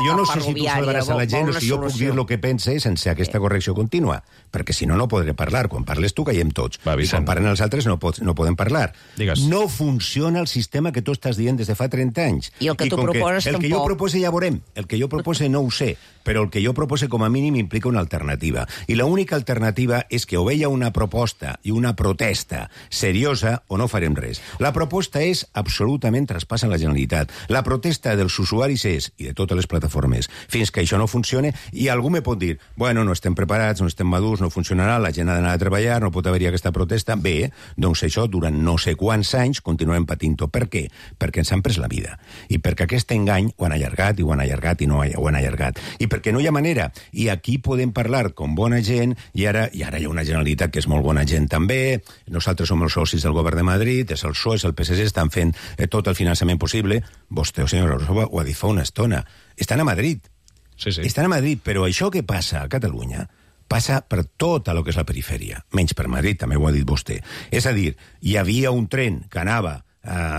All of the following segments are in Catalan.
jo no sé si tu salvaràs a la gent o si jo puc dir el que pense sense aquesta correcció contínua, perquè si no, no podré parlar. Quan parles tu, callem tots. I quan parlen els altres, no podem parlar. No funciona el sistema que tu estàs dient des de fa 30 anys. I el que tu proposes tampoc. El que jo propose ja veurem. El que jo propose no ho sé, però el que jo propose com a mínim implica una alternativa. I l'única alternativa és que o veia una proposta i una protesta seriosa o no farem res. La proposta és absolutament traspassa la Generalitat. La protesta dels usuaris és, i de totes les plataformes, fins que això no funcione, i algú me pot dir, bueno, no estem preparats, no estem madurs, no funcionarà, la gent ha d'anar a treballar, no pot haver-hi aquesta protesta. Bé, doncs això durant no sé quants anys continuem patint-ho. Per què? Perquè ens han pres la vida. I perquè aquest engany ho han allargat i ho han allargat i no ho han allargat. I perquè no hi ha manera. I aquí podem parlar com bona gent, i ara hi ha una Generalitat que és molt bona gent també, nosaltres som els socis del govern de Madrid, és el PSOE, és el PSG, estan fent tot el finançament possible. Vostè, senyor Rosova, ho ha dit fa una estona. Estan a Madrid. Estan a Madrid, però això que passa a Catalunya passa per tota el que és la perifèria, menys per Madrid, també ho ha dit vostè. És a dir, hi havia un tren que anava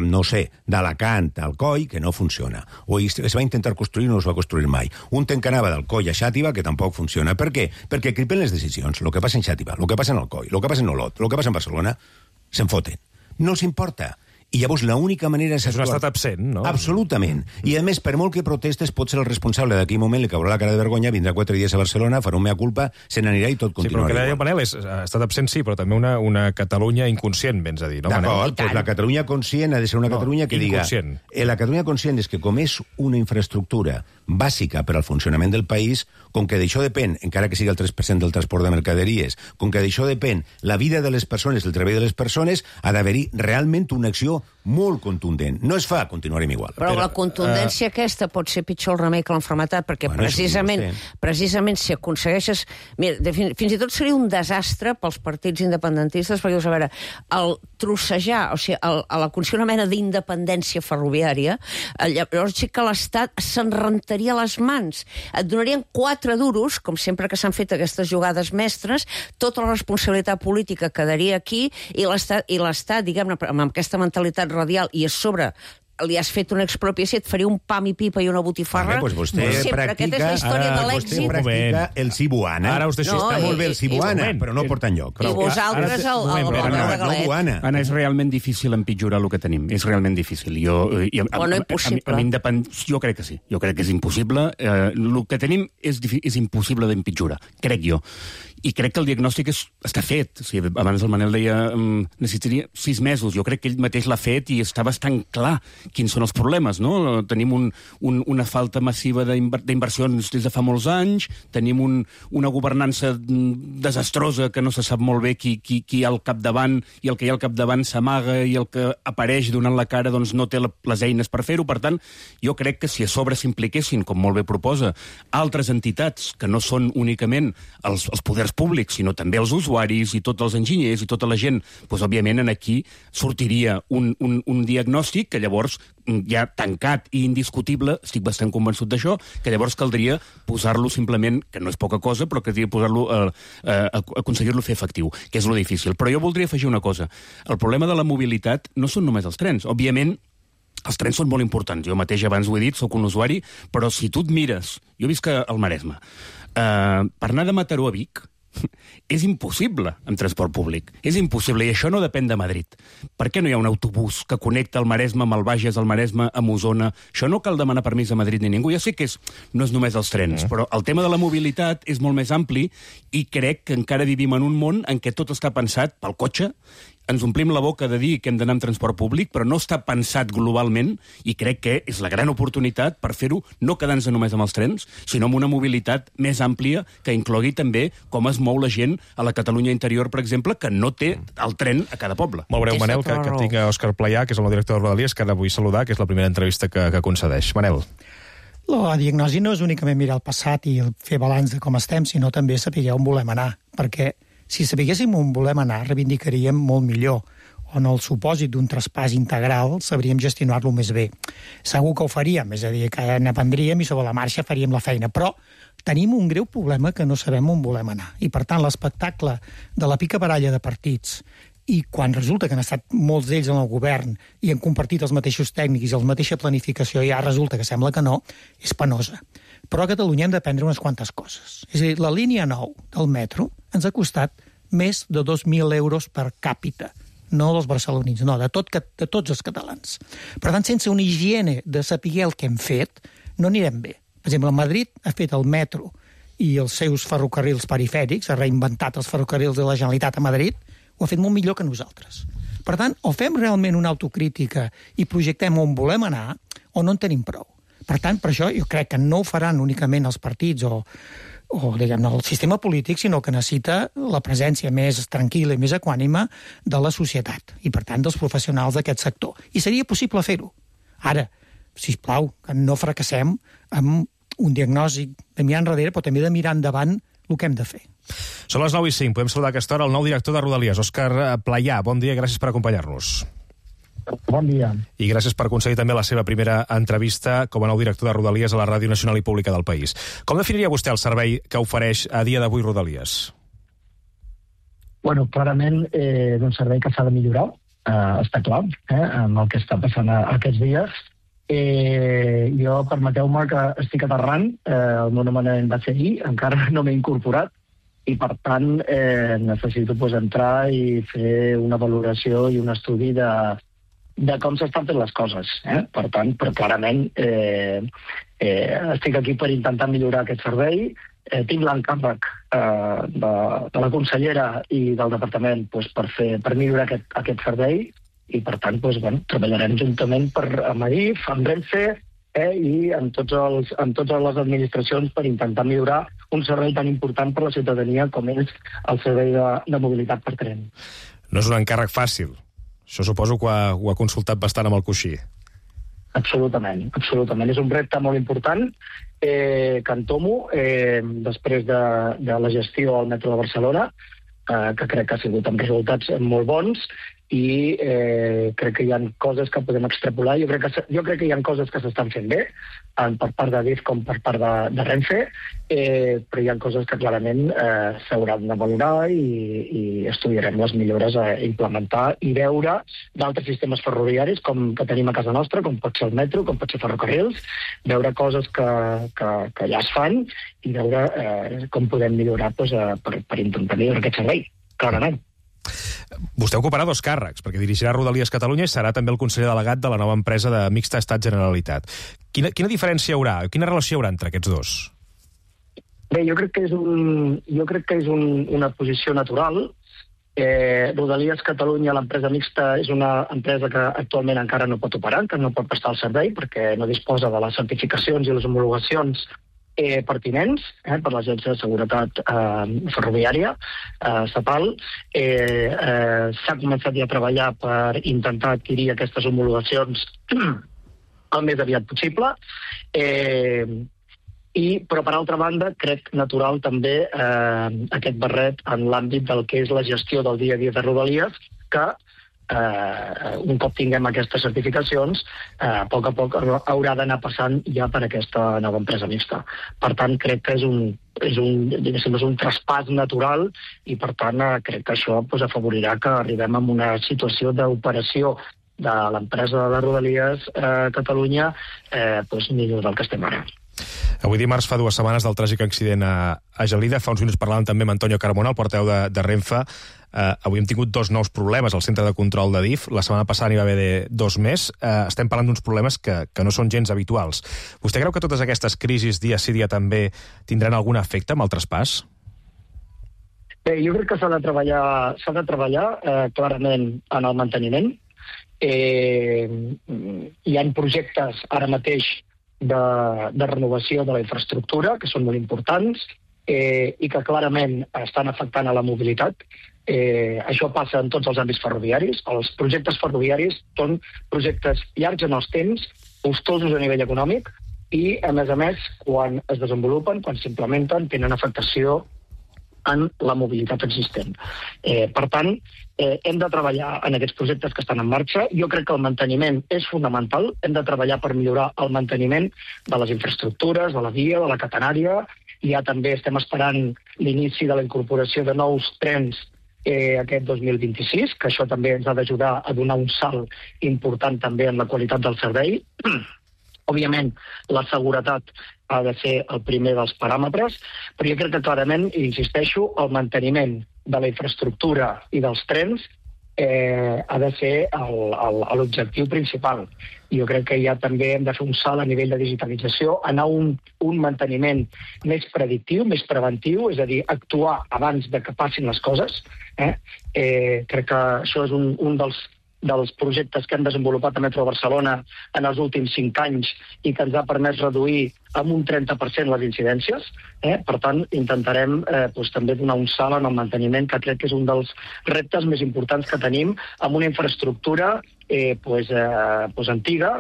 no sé, d'Alacant al Coll, que no funciona. O es va intentar construir i no es va construir mai. Un tren que anava del Coll a Xàtiva, que tampoc funciona. Per què? Perquè cripen les decisions. El que passa en Xàtiva, el que passa en el Coll, el que passa en Olot, el que passa en Barcelona, se'n foten. No els importa. I llavors l'única manera és... És un estat absent, no? Absolutament. I a més, per molt que protestes, pot ser el responsable d'aquell moment, li caurà la cara de vergonya, vindrà 4 dies a Barcelona, farà un mea culpa, se n'anirà i tot continuarà. Sí, però el que deia Manel és estat absent, sí, però també una Catalunya inconscient, vens a dir, no, Manel? D'acord, doncs la Catalunya conscient ha de ser una Catalunya que diga... La Catalunya conscient és que com és una infraestructura bàsica per al funcionament del país, com que d'això depèn, encara que sigui el 3% del transport de mercaderies, com que d'això depèn la vida de les persones, el treball de les persones, ha d'haver-hi realment una acció molt contundent. No es fa, continuarem igual. Però la contundència aquesta pot ser pitjor el remei que l'enfermetat, perquè precisament si aconsegueixes... Mira, fins i tot seria un desastre pels partits independentistes, perquè, a veure, el trossejar, o sigui, l'aconseguir una mena d'independència ferroviària, llavors sí que l'Estat se'n rentaria les mans. Et donarien 4 duros, com sempre que s'han fet aquestes jugades mestres, tota la responsabilitat política quedaria aquí, i l'Estat, diguem-ne, amb aquesta mentalitat radial, i a sobre li has fet una expropiació, et faria un pam i pipa i una botifarra. Doncs vostè practica el Cibuana. Ara vostè està molt bé el Cibuana, però no porta enlloc. I vosaltres el Galet. Anna, és realment difícil empitjorar el que tenim. És realment difícil. O no impossible. Jo crec que sí. Jo crec que és impossible. El que tenim és impossible d'empitjorar, crec jo. I crec que el diagnòstic està fet. O sigui, abans el Manel deia necessitaria 6 mesos. Jo crec que ell mateix l'ha fet i està bastant clar quins són els problemes, no? Tenim una falta massiva d'inversions des de fa molts anys, tenim una governança desastrosa que no se sap molt bé qui hi ha al capdavant, i el que hi ha al capdavant s'amaga, i el que apareix donant la cara doncs no té les eines per fer-ho. Per tant, jo crec que si a sobre s'impliquessin, com molt bé proposa, altres entitats que no són únicament els poders públics, sinó també els usuaris i tots els enginyers i tota la gent, doncs, òbviament, aquí sortiria un diagnòstic que llavors ja tancat i indiscutible, estic bastant convençut d'això, que llavors caldria posar-lo simplement, que no és poca cosa, però que caldria posar-lo aconseguir-lo fer efectiu, que és lo difícil. Però jo voldria afegir una cosa. El problema de la mobilitat no són només els trens. Òbviament, els trens són molt importants. Jo mateix abans ho he dit, sóc un usuari, però si tu et mires... Jo visc al Maresme. Per anar de Mataró a Vic és impossible amb transport públic. És impossible, i això no depèn de Madrid. Per què no hi ha un autobús que connecta el Maresme amb el Bages, el Maresme amb Osona? Això no cal demanar permís a Madrid ni ningú. Ja sé que no és només els trens, però el tema de la mobilitat és molt més ampli, i crec que encara vivim en un món en què tot està pensat pel cotxe. Ens omplim la boca de dir que hem d'anar amb transport públic, però no està pensat globalment, i crec que és la gran oportunitat per fer-ho, no quedant-se només amb els trens, sinó amb una mobilitat més àmplia que inclogui també com es mou la gent a la Catalunya interior, per exemple, que no té el tren a cada poble. Molt breu, Manel, que tinc a Òscar Playà, que és el nou director de Rodalies, que ara vull saludar, que és la primera entrevista que concedeix. Manel. La diagnosi no és únicament mirar el passat i fer balanç de com estem, sinó també saber on volem anar, perquè si sabíssim on volem anar, reivindicaríem molt millor. O en el supòsit d'un traspàs integral, sabríem gestionar-lo més bé. Segur que ho faríem, és a dir, que n'aprendríem i sobre la marxa faríem la feina, però tenim un greu problema que no sabem on volem anar. I, per tant, l'espectacle de la picabaralla de partits, i quan resulta que han estat molts d'ells en el govern i han compartit els mateixos tècnics i la mateixa planificació, ja resulta que sembla que no, és penosa. Però a Catalunya hem d'aprendre unes quantes coses. És a dir, la línia 9 del metro ens ha costat més de 2.000 euros per càpita. No dels barcelonins, no, de tots els catalans. Per tant, sense una higiene de saber el que hem fet, no anirem bé. Per exemple, Madrid ha fet el metro i els seus ferrocarrils perifèrics, ha reinventat els ferrocarrils de la Generalitat a Madrid, ho ha fet molt millor que nosaltres. Per tant, o fem realment una autocrítica i projectem on volem anar, o no en tenim prou. Per tant, per això jo crec que no ho faran únicament els partits o diguem-ne, el sistema polític, sinó que necessita la presència més tranquil·la i més equànime de la societat i, per tant, dels professionals d'aquest sector. I seria possible fer-ho. Ara, sisplau, que no fracassem amb un diagnòstic de mirar enrere, però també de mirar endavant el que hem de fer. Són les 9:05. Podem saludar a aquesta hora el nou director de Rodalies, Òscar Playà. Bon dia, gràcies per acompanyar-nos. Bon dia. I gràcies per aconseguir també la seva primera entrevista com a nou director de Rodalies a la Ràdio Nacional i Pública del país. Com definiria vostè el servei que ofereix a dia d'avui Rodalies? Bueno, clarament és un servei que s'ha de millorar, està clar, amb el que està passant aquests dies. Jo, permeteu-me que estic aterrant, el meu nomenament va ser ahir, encara no m'he incorporat, i per tant necessito entrar i fer una valoració i un estudi de com s'estan fent les coses. Per tant, però clarament estic aquí per intentar millorar aquest servei. Tinc l'encàrrec de la consellera i del departament per millorar aquest servei i, per tant, treballarem juntament amb Adif, amb Renfe i amb totes les administracions per intentar millorar un servei tan important per la ciutadania com és el servei de mobilitat per tren. No és un encàrrec fàcil. Això suposo que ho ha consultat bastant amb el coixí. Absolutament, absolutament. És un repte molt important que entomo després de la gestió al metro de Barcelona, que crec que ha sigut amb resultats molt bons i crec que hi ha coses que podem extrapolar. Jo crec que hi ha coses que s'estan fent bé, tant per part d'Adif com per part de Renfe, però hi ha coses que clarament s'hauran de valorar i estudiarem les millores a implementar i veure d'altres sistemes ferroviaris que tenim a casa nostra, com pot ser el metro, com pot ser ferrocarrils, veure coses que ja es fan i veure com podem millorar per intentar millorar aquest servei, clarament. Vostè ocuparà dos càrrecs, perquè dirigirà Rodalies Catalunya i serà també el conseller delegat de la nova empresa de mixta Estat-Generalitat. Quina diferència hi haurà? Quina relació hi haurà entre aquests dos? Bé, jo crec que és una posició natural. Rodalies Catalunya, l'empresa mixta, és una empresa que actualment encara no pot operar, que no pot prestar el servei perquè no disposa de les certificacions i les homologacions pertinents per l'Agència de Seguretat Ferroviària estatal. S'ha començat ja a treballar per intentar adquirir aquestes homologacions el més aviat possible. Però, per altra banda, crec natural també aquest barret en l'àmbit del que és la gestió del dia a dia de Rodalies, que un cop tinguem aquestes certificacions, a poc haurà d'anar passant ja per aquesta nova empresa mixta. Per tant, crec que és un traspàs natural i, per tant, crec que això afavorirà que arribem a una situació d'operació de l'empresa de Rodalies Catalunya millor del que estem ara. Avui dimarts fa 2 setmanes del tràgic accident a Gelida. Fa uns minuts parlàvem també amb Antonio Carmona, el portaveu de Renfe. Avui hem tingut 2 nous problemes al centre de control d'Adif. La setmana passada n'hi va haver 2 més. Estem parlant d'uns problemes que no són gens habituals. Vostè creu que totes aquestes crisis dia sí dia també tindran algun efecte amb el traspàs? Bé, jo crec que s'ha de treballar clarament en el manteniment. Hi ha projectes ara mateix de renovació de la infraestructura, que són molt importants i que clarament estan afectant a la mobilitat. Això passa en tots els àmbits ferroviaris. Els projectes ferroviaris són projectes llargs en els temps, costosos a nivell econòmic i, a més, quan es desenvolupen, quan s'implementen, tenen afectació en la mobilitat existent. Per tant, hem de treballar en aquests projectes que estan en marxa. Jo crec que el manteniment és fonamental. Hem de treballar per millorar el manteniment de les infraestructures, de la via, de la catenària. Ja també estem esperant l'inici de la incorporació de nous trens aquest 2026, que això també ens ha d'ajudar a donar un salt important també en la qualitat del servei. Òbviament, la seguretat ha de ser el primer dels paràmetres, però jo crec que clarament, i insisteixo, el manteniment de la infraestructura i dels trens ha de ser l'objectiu principal. Jo crec que ja també hem de fer un salt a nivell de digitalització, anar a un manteniment més predictiu, més preventiu, és a dir, actuar abans de que passin les coses. Crec que això és un dels projectes que hem desenvolupat a Metro Barcelona en els últims 5 anys i que ens ha permès reduir amb un 30% les incidències. Per tant, intentarem també donar un salt en el manteniment, que crec que és un dels reptes més importants que tenim, amb una infraestructura antiga,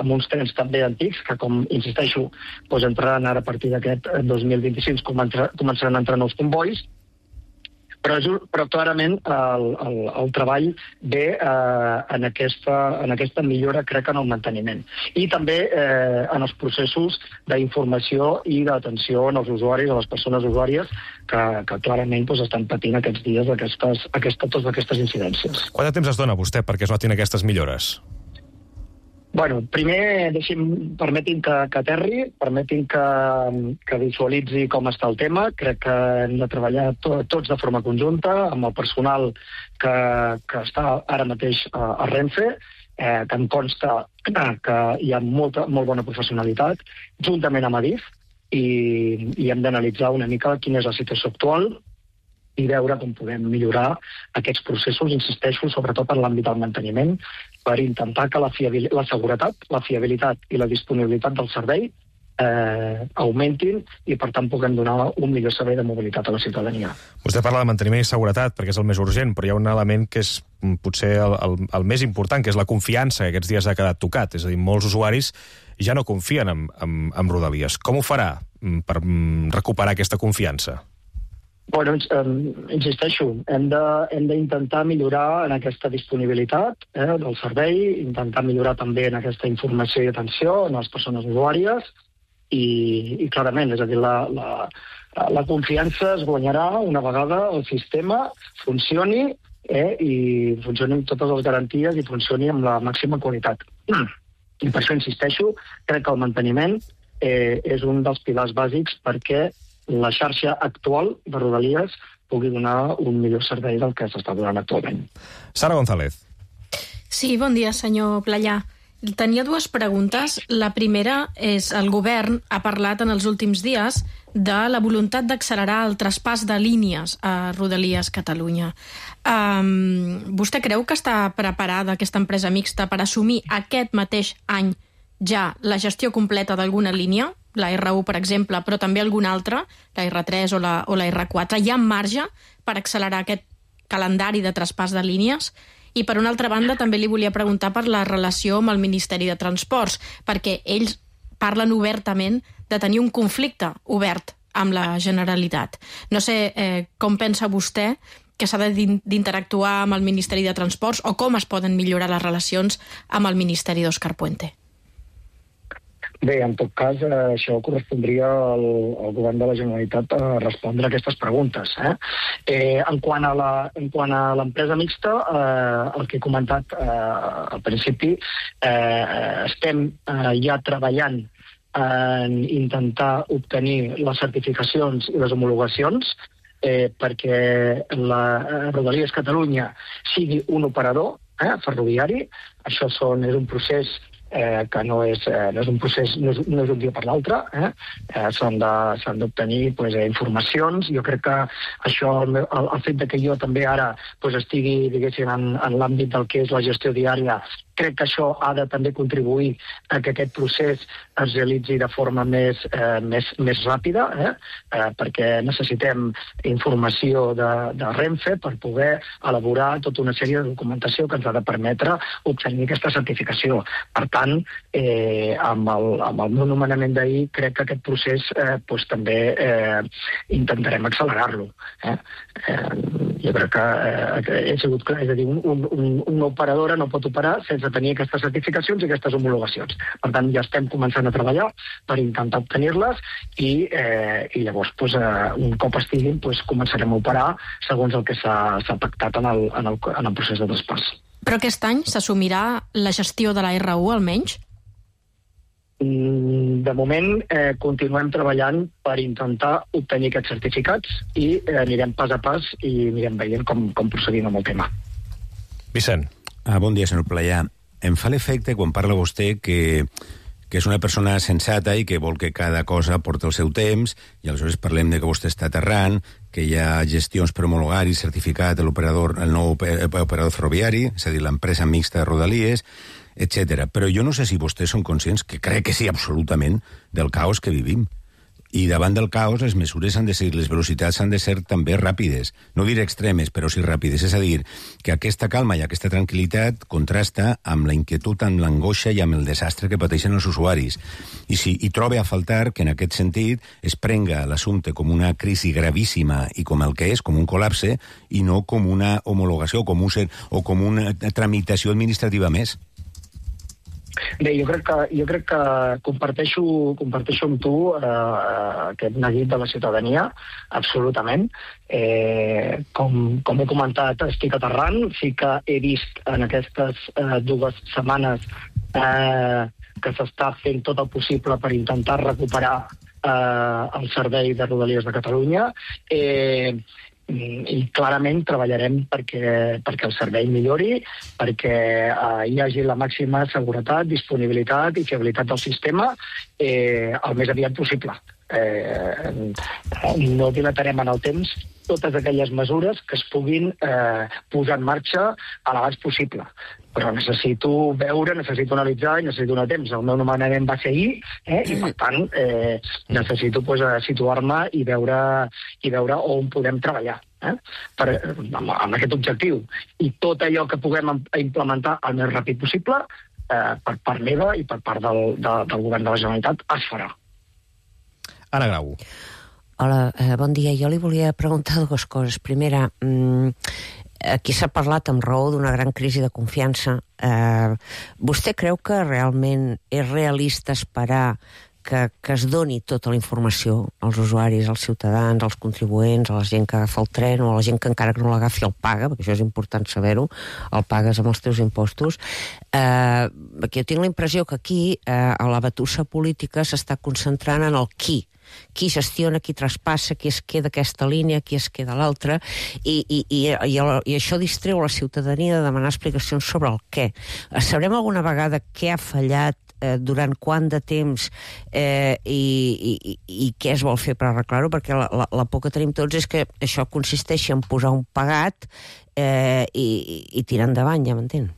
amb uns trens també antics, que, com insisteixo, entraran ara a partir d'aquest 2025, començaran a entrar nous convois, però clarament el treball ve en aquesta millora, crec, en el manteniment. I també en els processos d'informació i d'atenció als usuaris, a les persones usuàries, que clarament estan patint aquests dies totes aquestes incidències. Quant de temps es dona vostè perquè es notin aquestes millores? Bueno, primer permetin que aterri, permetin que visualitzi com està el tema. Crec que hem de treballar tots de forma conjunta, amb el personal que està ara mateix a Renfe, que em consta que hi ha molt bona professionalitat, juntament amb Adif, i hem d'analitzar una mica quina és la situació actual i veure com podem millorar aquests processos, insisteixo, sobretot en l'àmbit del manteniment, per intentar que la seguretat, la fiabilitat i la disponibilitat del servei augmentin i, per tant, puguem donar un millor servei de mobilitat a la ciutadania. Vostè parla de manteniment i seguretat perquè és el més urgent, però hi ha un element que és potser el més important, que és la confiança, que aquests dies ha quedat tocat. És a dir, molts usuaris ja no confien en Rodalies. Com ho farà per recuperar aquesta confiança? Bueno, insisteixo, hem d'intentar millorar en aquesta disponibilitat del servei, intentar millorar també en aquesta informació i atenció a les persones usuàries i clarament, és a dir, la confiança es guanyarà una vegada el sistema funcioni i funcioni amb totes les garanties i funcioni amb la màxima qualitat. I per això insisteixo, crec que el manteniment és un dels pilars bàsics perquè la xarxa actual de Rodalies pugui donar un millor servei del que s'està donant actualment. Sara González. Sí, bon dia, senyor Playà. Tenia 2 preguntes. La primera és, el govern ha parlat en els últims dies de la voluntat d'accelerar el traspàs de línies a Rodalies Catalunya. Vostè creu que està preparada aquesta empresa mixta per assumir aquest mateix any ja la gestió completa d'alguna línia, la R1, per exemple, però també alguna altra, la R3 o la R4? Hi ha marge per accelerar aquest calendari de traspàs de línies? I, per una altra banda, també li volia preguntar per la relació amb el Ministeri de Transports, perquè ells parlen obertament de tenir un conflicte obert amb la Generalitat. No sé com pensa vostè que s'ha d'interactuar amb el Ministeri de Transports o com es poden millorar les relacions amb el Ministeri d'Òscar Puente. Bé, en tot cas, això correspondria al govern de la Generalitat a respondre a aquestes preguntes. En quant a l'empresa mixta, el que he comentat al principi, estem ja treballant en intentar obtenir les certificacions i les homologacions perquè la Rodalies Catalunya sigui un operador ferroviari. Això és un procés que no és un dia per l'altre. S'han d'obtenir informacions. Jo crec que això, el fet que jo també ara estigui, diguéssim, en l'àmbit del que és la gestió diària, crec que això ha de també contribuir a que aquest procés es realitzi de forma més ràpida, perquè necessitem informació de Renfe per poder elaborar tota una sèrie de documentació que ens ha de permetre obtenir aquesta certificació. Per tant, amb el meu nomenament d'ahir, crec que aquest procés també intentarem accelerar-lo. Jo crec que he sigut clar, és a dir, una operadora no pot operar sense tenir aquestes certificacions i aquestes homologacions. Per tant, ja estem començant a treballar per intentar obtenir-les i llavors, un cop estiguin, començarem a operar segons el que s'ha pactat en el procés de traspàs. Però aquest any s'assumirà la gestió de la R1, almenys? de moment continuem treballant per intentar obtenir aquests certificats i anirem pas a pas i anirem veient com procedim amb el tema. Vicent. Bon dia, senyor Playà. Em fa l'efecte, quan parla vostè, que és una persona sensata i que vol que cada cosa porti el seu temps, i aleshores parlem de que vostè està aterrant, que hi ha gestions per homologar i certificat el nou operador ferroviari, és a dir, l'empresa mixta de Rodalies, etc. Però jo no sé si vostès són conscients, que crec que sí, absolutament, del caos que vivim. I davant del caos les mesures han de ser, les velocitats han de ser també ràpides, no diré extremes, però sí ràpides. És a dir, que aquesta calma i aquesta tranquil·litat contrasta amb la inquietud, amb l'angoixa i amb el desastre que pateixen els usuaris. I trobe a faltar que en aquest sentit es prenga l'assumpte com una crisi gravíssima i com el que és, com un col·lapse, i no com una homologació o com una tramitació administrativa més. Bé, jo crec que comparteixo amb tu aquest neguit de la ciutadania, absolutament. Com he comentat, estic aterrant. Sí que he vist en aquestes 2 setmanes que s'està fent tot el possible per intentar recuperar el servei de Rodalies de Catalunya. I clarament treballarem perquè el servei millori, perquè hi hagi la màxima seguretat, disponibilitat i fiabilitat del sistema el més aviat possible. No dilatarem en el temps totes aquelles mesures que es puguin posar en marxa a l'abans possible. Però necessito veure, necessito analitzar i necessito donar temps. El meu nomenament va ser ahir, i per tant necessito situar-me i veure on podem treballar amb aquest objectiu. I tot allò que puguem implementar el més ràpid possible, per part meva i per part del govern de la Generalitat, es farà. Anna Grau. Hola, bon dia. Jo li volia preguntar 2 coses. Primera, aquí s'ha parlat amb raó d'una gran crisi de confiança. Vostè creu que realment és realista esperar que es doni tota la informació als usuaris, als ciutadans, als contribuents, a la gent que agafa el tren o a la gent que encara que no l'agafi el paga, perquè això és important saber-ho, el pagues amb els teus impostos? Perquè jo tinc la impressió que aquí la batussa política s'està concentrant en el qui gestiona, qui traspassa, qui es queda aquesta línia, qui es queda l'altra, i això distreu la ciutadania de demanar explicacions sobre el què. Sabrem alguna vegada què ha fallat, durant quant de temps i què es vol fer per arreglar-ho, perquè la por que tenim tots és que això consisteixi en posar un pagat i tirar endavant, ja m'entén?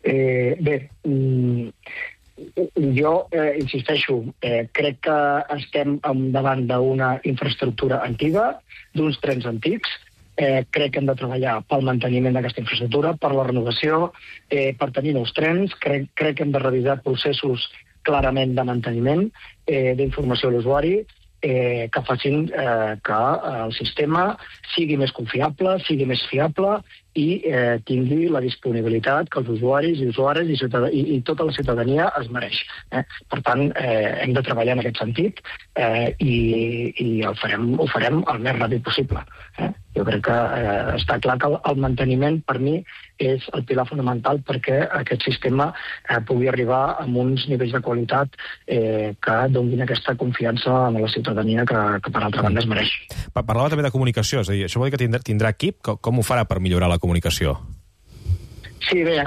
Bé, jo insisteixo, crec que estem davant d'una infraestructura antiga, d'uns trens antics. Crec que hem de treballar pel manteniment d'aquesta infraestructura, per la renovació, per tenir nous trens. Crec que hem de revisar processos clarament de manteniment, d'informació a l'usuari, que facin que el sistema sigui més confiable, sigui més fiable i tingui la disponibilitat que els usuaris i usuaris i tota la ciutadania es mereix. Per tant, hem de treballar en aquest sentit i ho farem el més ràpid possible. Jo crec que està clar que el manteniment, per mi, és el pilar fonamental perquè aquest sistema pugui arribar a uns nivells de qualitat que donin aquesta confiança a la ciutadania que per altra banda es mereix. Parlava també de comunicació, és a dir, això vol dir que tindrà equip? Com ho farà per millorar la comunicació? Sí, bé,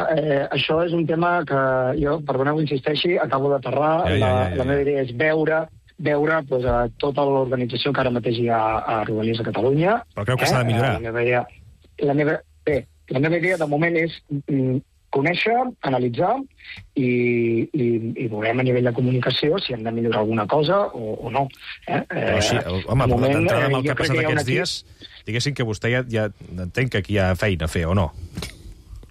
això és un tema que jo, perdoneu que insisteixi, acabo d'aterrar. La meva idea és veure tota l'organització que ara mateix hi ha a Rodalies de Catalunya. Però creu que s'ha de millorar? La meva idea de moment és conèixer, analitzar i veurem a nivell de comunicació si hem de millorar alguna cosa o no. Però sí, home, d'entrada amb el que ha passat aquests dies, diguéssim que vostè ja entenc que aquí hi ha feina a fer, o no?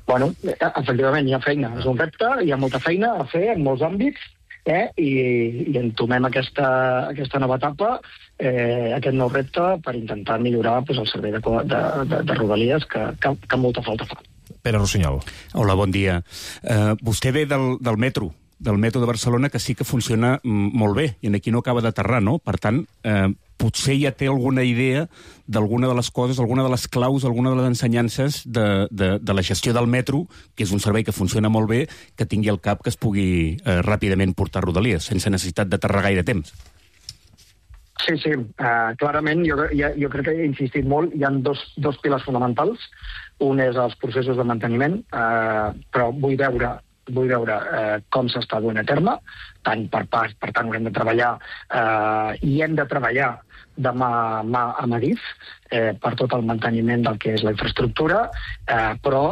Bueno, efectivament, hi ha feina. És un repte, hi ha molta feina a fer en molts àmbits, i entomem aquesta nova etapa, aquest nou repte, per intentar millorar el servei de Rodalies, que molta falta fa. Pere Rossinyol. Hola, bon dia. Vostè ve del metro de Barcelona, que sí que funciona molt bé, i aquí no acaba d'aterrar, no? Per tant, potser ja té alguna idea d'alguna de les coses, alguna de les claus, alguna de les ensenyances de la gestió del metro, que és un servei que funciona molt bé, que tingui al cap que es pugui ràpidament portar a Rodalies, sense necessitat de tardar gaire temps. Sí, clarament, jo crec que he insistit molt. Hi ha dos pilars fonamentals. Un és els processos de manteniment, però vull veure com s'està duent a terme, tant per tant haurem de treballar i hem de treballar de mà a mà amb Adif per tot el manteniment del que és la infraestructura, però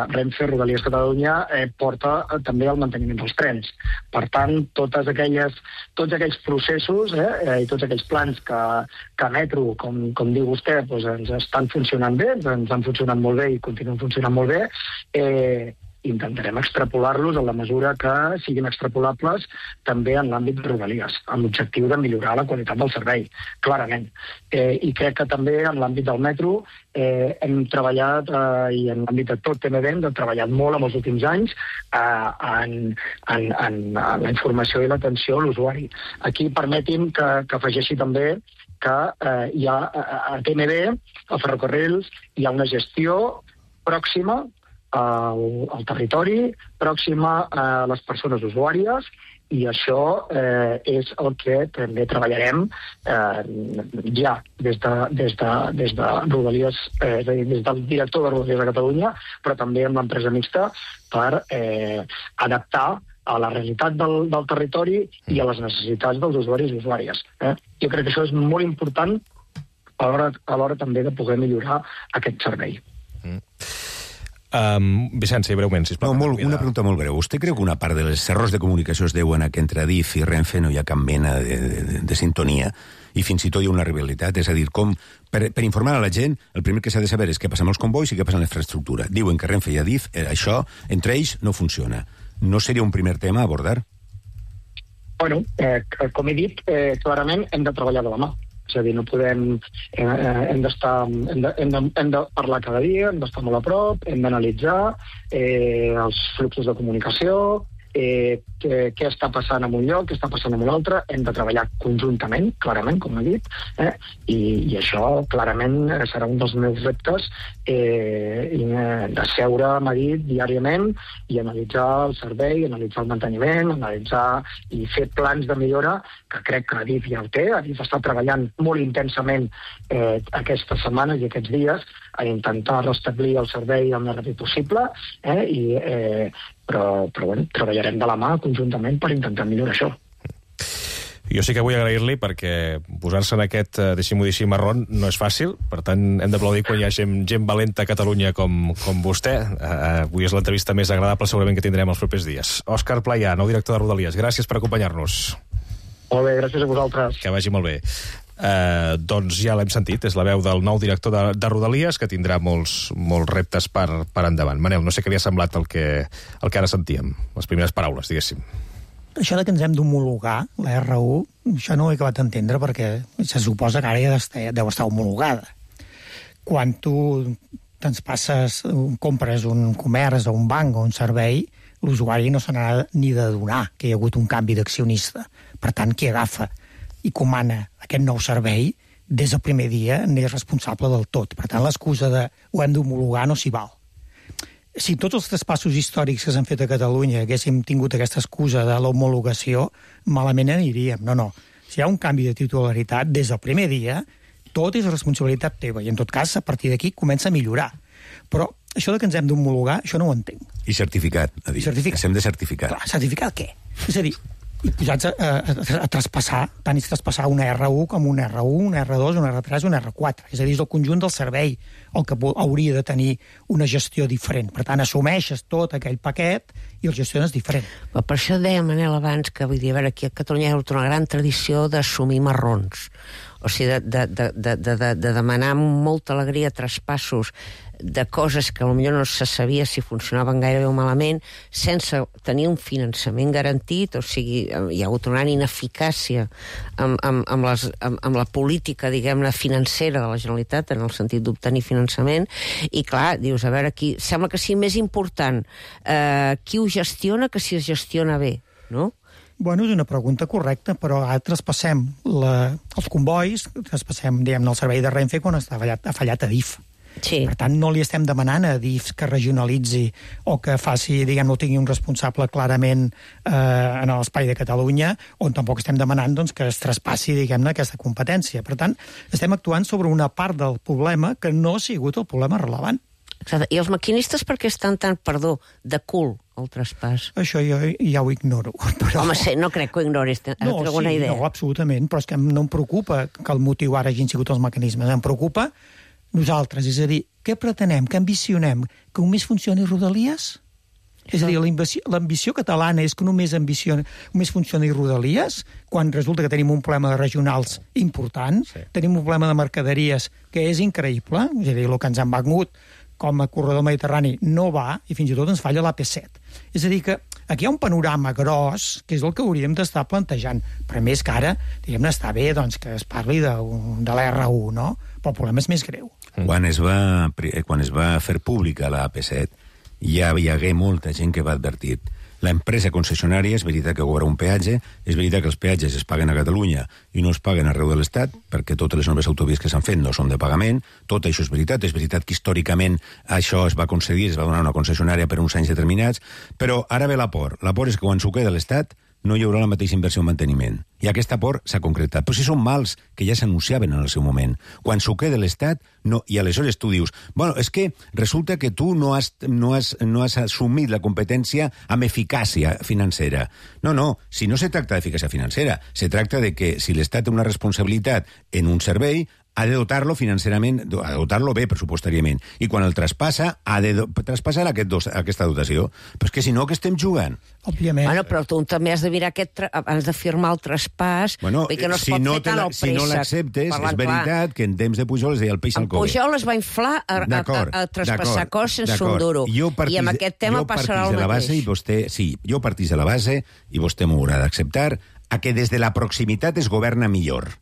Renfe, Rodalies Catalunya, porta també el manteniment dels trens. Per tant, tots aquells processos i tots aquells plans que Metro, com diu vostè, ens estan funcionant bé, ens han funcionat molt bé i continuen funcionant molt bé, intentarem extrapolar-los en la mesura que siguin extrapolables també en l'àmbit de Rodalies, amb l'objectiu de millorar la qualitat del servei, clarament. I crec que també en l'àmbit del metro hem treballat, i en l'àmbit de tot TMB hem treballat molt en els últims anys en la informació i l'atenció a l'usuari. Aquí permeti'm que afegeixi també que hi ha a TMB, a Ferrocarrils, hi ha una gestió pròxima al territori, pròxima a les persones usuàries, i això és el que també treballarem ja des de Rodalies, és a dir, des del director de Rodalies de Catalunya, però també amb l'empresa mixta per adaptar a la realitat del territori i a les necessitats dels usuaris i usuàries. Jo crec que això és molt important a l'hora també de poder millorar aquest servei. Vicenç, breument, sisplau. Una pregunta molt breu. Vostè creu que una part dels errors de comunicació es deuen a que entre Adif i Renfe no hi ha cap mena de sintonia i fins i tot hi ha una rivalitat? És a dir, per informar a la gent, el primer que s'ha de saber és què passa amb els convois i què passa amb la infraestructura. Diuen que Renfe i Adif, això, entre ells, no funciona. No seria un primer tema a abordar? Bueno, com he dit, clarament hem de treballar de la mà. És a dir, no podem... Hem de parlar cada dia, hem d'estar molt a prop, hem d'analitzar els fluxos de comunicació, què està passant en un lloc, què està passant en un altre, hem de treballar conjuntament, clarament, com he dit, i això clarament serà un dels meus reptes, de seure a Madrid diàriament i analitzar el servei, analitzar el manteniment, analitzar i fer plans de millora, que crec que Adif ja ho té. Adif està treballant molt intensament aquestes setmanes i aquests dies a intentar restablir el servei el més ràpid possible, però bueno, treballarem de la mà conjuntament per intentar millorar això. Jo sí que vull agrair-li perquè posar-se en aquest, deixi-m'ho dir així, marrón no és fàcil, per tant hem d'aplaudir quan hi ha gent valenta a Catalunya com vostè. Avui és l'entrevista més agradable segurament que tindrem els propers dies. Òscar Playà, nou director de Rodalies, gràcies per acompanyar-nos. Molt bé, gràcies a vosaltres. Que vagi molt bé. Doncs ja l'hem sentit, és la veu del nou director de Rodalies, que tindrà molts reptes per endavant. Manel, no sé què li ha semblat el que ara sentíem, les primeres paraules, diguéssim. Això de que ens hem d'homologar, la R1, això no ho he acabat d'entendre perquè se suposa que ara ja deu estar homologada. Quan tu compres un comerç o un banc o un servei, l'usuari no se n'ha ni de donar que hi ha hagut un canvi d'accionista. Per tant, qui agafa i comana aquest nou servei, des del primer dia n'és responsable del tot. Per tant, l'excusa de ho hem d'homologar no s'hi val. Si tots els traspassos històrics que s'han fet a Catalunya haguéssim tingut aquesta excusa de l'homologació, malament aniríem. No. Si hi ha un canvi de titularitat, des del primer dia, tot és responsabilitat teva, i en tot cas, a partir d'aquí, comença a millorar. Però això de que ens hem d'homologar, això no ho entenc. I certificat, ha dit. Certificat. Ens hem de certificar. Clar, certificat què? És a dir, i posats a traspassar, tant és traspassar una R1 com una R1, una R2, una R3, una R4. És a dir, és el conjunt del servei el que hauria de tenir una gestió diferent. Per tant, assumeixes tot aquell paquet i el gestiones diferent. Però per això deia Manel abans que, vull dir, a veure, aquí a Catalunya hi ha hagut una gran tradició d'assumir marrons. O sigui, de demanar amb molta alegria traspassos de coses que potser no se sabia si funcionaven gaire bé o malament, sense tenir un finançament garantit. O sigui, hi ha hagut una gran ineficàcia amb la política, diguem-ne, financera de la Generalitat, en el sentit d'obtenir finançament, i clar, dius, a veure, aquí sembla que sigui més important qui ho gestiona que si es gestiona bé, no? Bueno, és una pregunta correcta, però ara traspassem els convois, traspassem, diguem-ne, el servei de Renfe quan ha fallat Adif. Sí. Per tant, no li estem demanant a Adif que regionalitzi o que faci, diguem-ne, tingui un responsable clarament en l'espai de Catalunya, on tampoc estem demanant doncs, que es traspassi, diguem-ne, aquesta competència. Per tant, estem actuant sobre una part del problema que no ha sigut el problema rellevant. Exacte. I els maquinistes per què estan tan, de cul el traspàs? Això jo ja ho ignoro. Però... Home, no crec que ho ignoris, alguna idea. No, absolutament, però és que no em preocupa que el motiu ara hagin sigut els mecanismes. Em preocupa nosaltres, és a dir, què pretenem, què ambicionem? Que només funcioni Rodalies? És a dir, l'ambició catalana és que només funcioni Rodalies, quan resulta que tenim un problema de regionals important, tenim un problema de mercaderies que és increïble, és a dir, el que ens han vengut com a corredor mediterrani no va, i fins i tot ens falla l'AP7. És a dir, que aquí hi ha un panorama gros, que és el que hauríem d'estar plantejant. Però més que ara, diguem-ne, està bé doncs, que es parli de l'R1, no? Però el problema és més greu. Quan es va fer pública la AP7, ja hi hagué molta gent que va advertir. L'empresa concessionària és veritat que cobra un peatge, és veritat que els peatges es paguen a Catalunya i no es paguen arreu de l'Estat, perquè totes les noves autovies que s'han fet no són de pagament, tot això és veritat que històricament això es va concedir, es va donar una concessionària per uns anys determinats, però ara ve la por és que quan s'ho queda l'Estat no hi haurà la mateixa inversió en manteniment. I aquesta por s'ha concretat. Però si són mals que ja s'anunciaven en el seu moment. Quan s'ho queda l'Estat, no, i aleshores tu dius, bueno, és que resulta que tu no has assumit la competència amb eficàcia financera. No, si no se tracta d'eficàcia financera, se tracta de que si l'Estat té una responsabilitat en un servei, ha de dotar-lo financerament, ha de dotar-lo bé pressupostàriament. I quan el traspassa, ha de traspassar aquesta dotació. Però és que si no, que estem jugant? Òbviament. Bueno, però tu també has de mirar has de firmar el traspàs. Bueno, que no es pot fer tan al préssec. Si no l'acceptes, és veritat que en temps de Pujol es deia el peix al cove. Pujol es va inflar a traspassar coses sense un duro. I amb aquest tema passarà el mateix. Jo partís de la base, i vostè m'ho haurà d'acceptar, a que des de la proximitat es governa millor.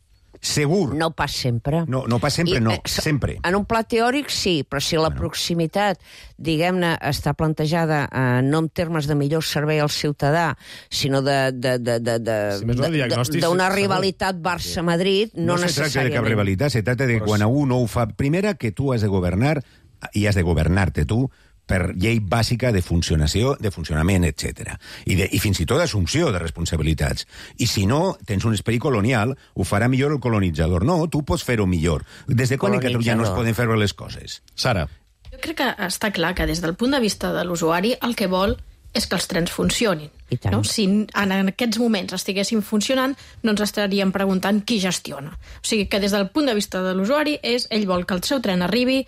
Segur. No pas sempre. No pas sempre, sempre. En un pla teòric sí, però si la proximitat, diguem-ne, està plantejada no en termes de millor servei al ciutadà, sinó d'una rivalitat Barça-Madrid, no necessàriament. No se tracta de cap rivalitat, se tracta de quan a un no ho fa... Primera, que tu has de governar, i has de governar-te tu, per llei bàsica de funcionament, etc. I fins i tot d'assumpció de responsabilitats. I si no, tens un esperit colonial, ho farà millor el colonitzador. No, tu pots fer-ho millor. Des de quan a Catalunya no es poden fer les coses? Sara. Jo crec que està clar que des del punt de vista de l'usuari el que vol és que els trens funcionin. No? Si en aquests moments estiguessin funcionant, no ens estaríem preguntant qui gestiona. O sigui que des del punt de vista de l'usuari ell vol que el seu tren arribi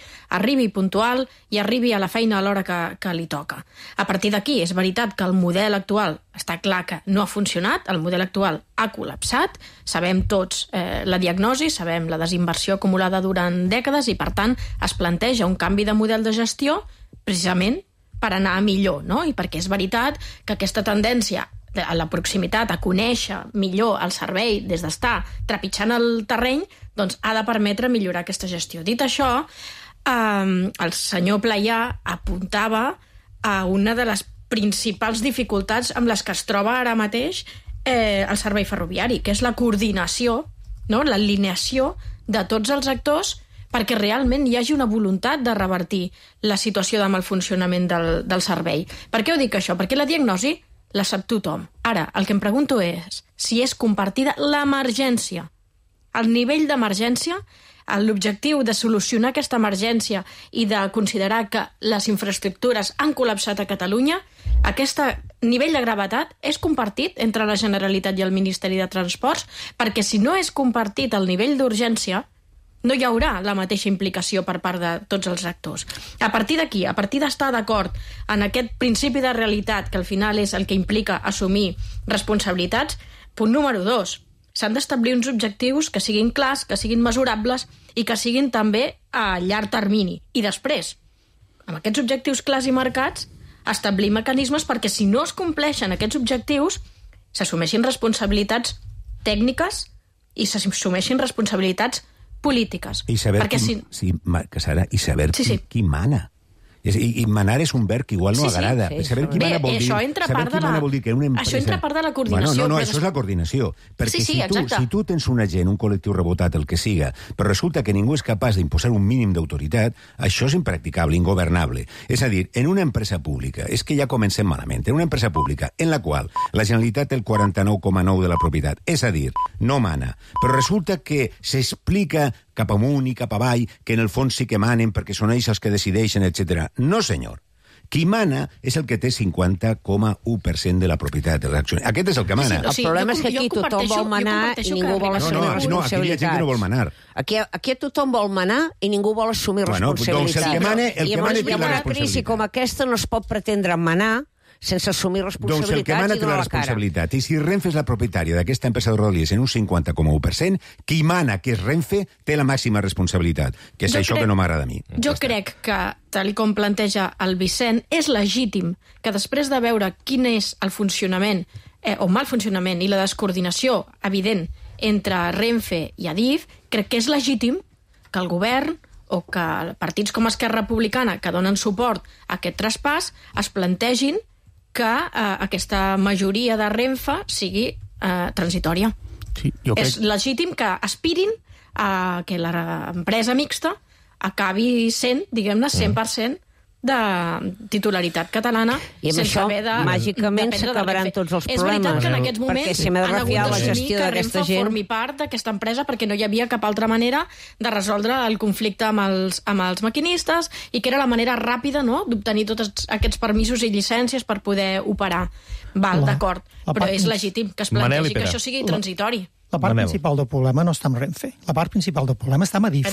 puntual i arribi a la feina a l'hora que li toca. A partir d'aquí, és veritat que el model actual està clar que no ha funcionat, el model actual ha col·lapsat, sabem tots la diagnosi, sabem la desinversió acumulada durant dècades i, per tant, es planteja un canvi de model de gestió precisament per anar a millor, no? I perquè és veritat que aquesta tendència a la proximitat, a conèixer millor el servei des d'estar trepitjant el terreny, doncs ha de permetre millorar aquesta gestió. Dit això, el senyor Playà apuntava a una de les principals dificultats amb les que es troba ara mateix el servei ferroviari, que és la coordinació, no? L'alineació de tots els actors perquè realment hi hagi una voluntat de revertir la situació de malfuncionament del servei. Per què ho dic això? Perquè la diagnosi la sap tothom. Ara, el que em pregunto és si és compartida l'emergència. El nivell d'emergència, l'objectiu de solucionar aquesta emergència i de considerar que les infraestructures han col·lapsat a Catalunya, aquest nivell de gravetat és compartit entre la Generalitat i el Ministeri de Transports, perquè si no és compartit el nivell d'urgència, no hi haurà la mateixa implicació per part de tots els actors. A partir d'aquí, a partir d'estar d'acord en aquest principi de realitat, que al final és el que implica assumir responsabilitats, punt número 2, s'han d'establir uns objectius que siguin clars, que siguin mesurables i que siguin també a llarg termini. I després, amb aquests objectius clars i marcats, establir mecanismes perquè si no es compleixen aquests objectius, s'assumeixin responsabilitats tècniques i s'assumeixin responsabilitats polítiques. I saber qui mana. I manar és un verb que igual no agrada. Saber qui mana vol dir... Això entra part de la coordinació. No, això és la coordinació. Perquè si tu tens un agent, un col·lectiu rebotat, el que siga, però resulta que ningú és capaç d'imposar un mínim d'autoritat, això és impracticable, ingovernable. És a dir, en una empresa pública, és que ja comencem malament, en una empresa pública en la qual la Generalitat té el 49,9% de la propietat, és a dir, no mana, però resulta que s'explica cap amunt i cap avall, que en el fons sí que manen perquè són ells els que decideixen, etc. No, senyor. Qui mana és el que té 50,1% de la propietat de l'acció. Aquest és el que mana. El problema és que aquí tothom vol manar i ningú vol assumir responsabilitats. No, aquí hi ha gent que no vol manar. Aquí tothom vol manar i ningú vol assumir responsabilitats. Doncs el que mana té la responsabilitat. I amb una crisi com aquesta no es pot pretendre manar sense assumir responsabilitats. Doncs el que mana té la responsabilitat. I si Renfe és la propietària d'aquesta empresa de Rodalies en un 50,1%, qui mana, que és Renfe, té la màxima responsabilitat, que és això que no m'agrada a mi. Jo crec que, tal com planteja el Vicent, és legítim que després de veure quin és el funcionament o mal funcionament i la descoordinació evident entre Renfe i Adif, crec que és legítim que el govern o que partits com Esquerra Republicana, que donen suport a aquest traspàs, es plantegin que aquesta majoria de Renfe sigui transitòria. Sí, és legítim que aspirin a que l'empresa mixta acabi sent, diguem-ne, 100% de titularitat catalana, i amb això màgicament s'acabaran tots els problemes. És veritat que en aquests moments han hagut d'assumir que Renfe formi part d'aquesta empresa perquè no hi havia cap altra manera de resoldre el conflicte amb els maquinistes i que era la manera ràpida, no?, d'obtenir tots aquests permisos i llicències per poder operar. Val, d'acord, però és legítim que es plantegi que això sigui transitori. La part principal del problema no està amb Renfe. La part principal del problema està amb Adif.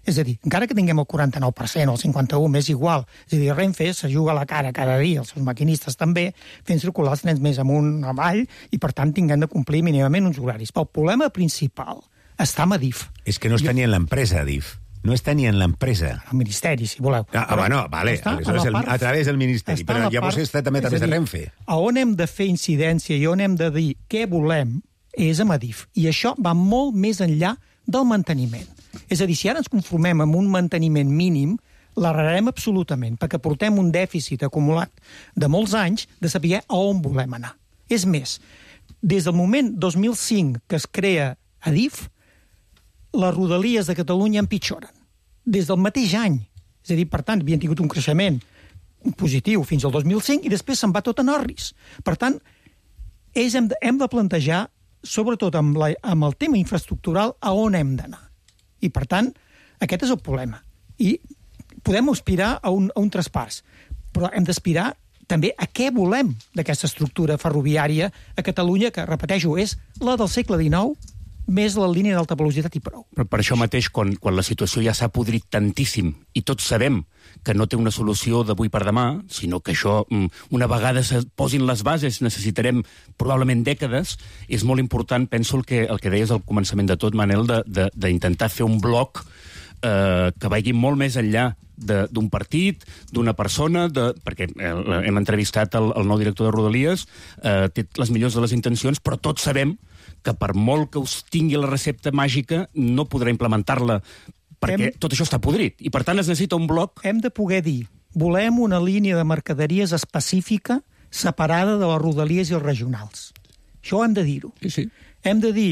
És a dir, encara que tinguem el 49% o el 51%, m'és igual. És a dir, Renfe se juga la cara cada dia, els seus maquinistes també, fent circular els trens més amunt, avall, i per tant tinguem de complir mínimament uns horaris. Però el problema principal està amb Adif. És que no està ni en l'empresa, Adif. No està ni en l'empresa. El Ministeri, si voleu. Bueno, vale, a través del Ministeri, però llavors està també a través de Renfe. A on hem de fer incidència i on hem de dir què volem és amb Adif. I això va molt més enllà del manteniment. És a dir, si ara ens conformem amb un manteniment mínim, l'errarem absolutament, perquè portem un dèficit acumulat de molts anys de saber a on volem anar. És més, des del moment 2005 que es crea Adif, les rodalies de Catalunya empitjoren. Des del mateix any. És a dir, per tant, havien tingut un creixement positiu fins al 2005 i després se'n va tot en orris. Per tant, hem de plantejar, sobretot amb el tema infraestructural, a on hem d'anar. I, per tant, aquest és el problema. I podem aspirar a un traspàs, però hem d'aspirar també a què volem d'aquesta estructura ferroviària a Catalunya, que, repeteixo, és la del segle XIX, més la línia d'alta velocitat i prou. Però per això mateix, quan la situació ja s'ha podrit tantíssim i tots sabem que no té una solució d'avui per demà, sinó que això, una vegada se posin les bases, necessitarem probablement dècades, és molt important, penso, el que deies al començament de tot, Manel, d'intentar fer un bloc que vagi molt més enllà d'un partit, d'una persona, perquè hem entrevistat el nou director de Rodalies, té les millors de les intencions, però tots sabem que per molt que us tingui la recepta màgica, no podrà implementar-la, perquè tot això està podrit. I, per tant, es necessita un bloc... Hem de poder dir, volem una línia de mercaderies específica separada de les rodalies i els regionals. Això hem de dir-ho. Sí. Hem de dir,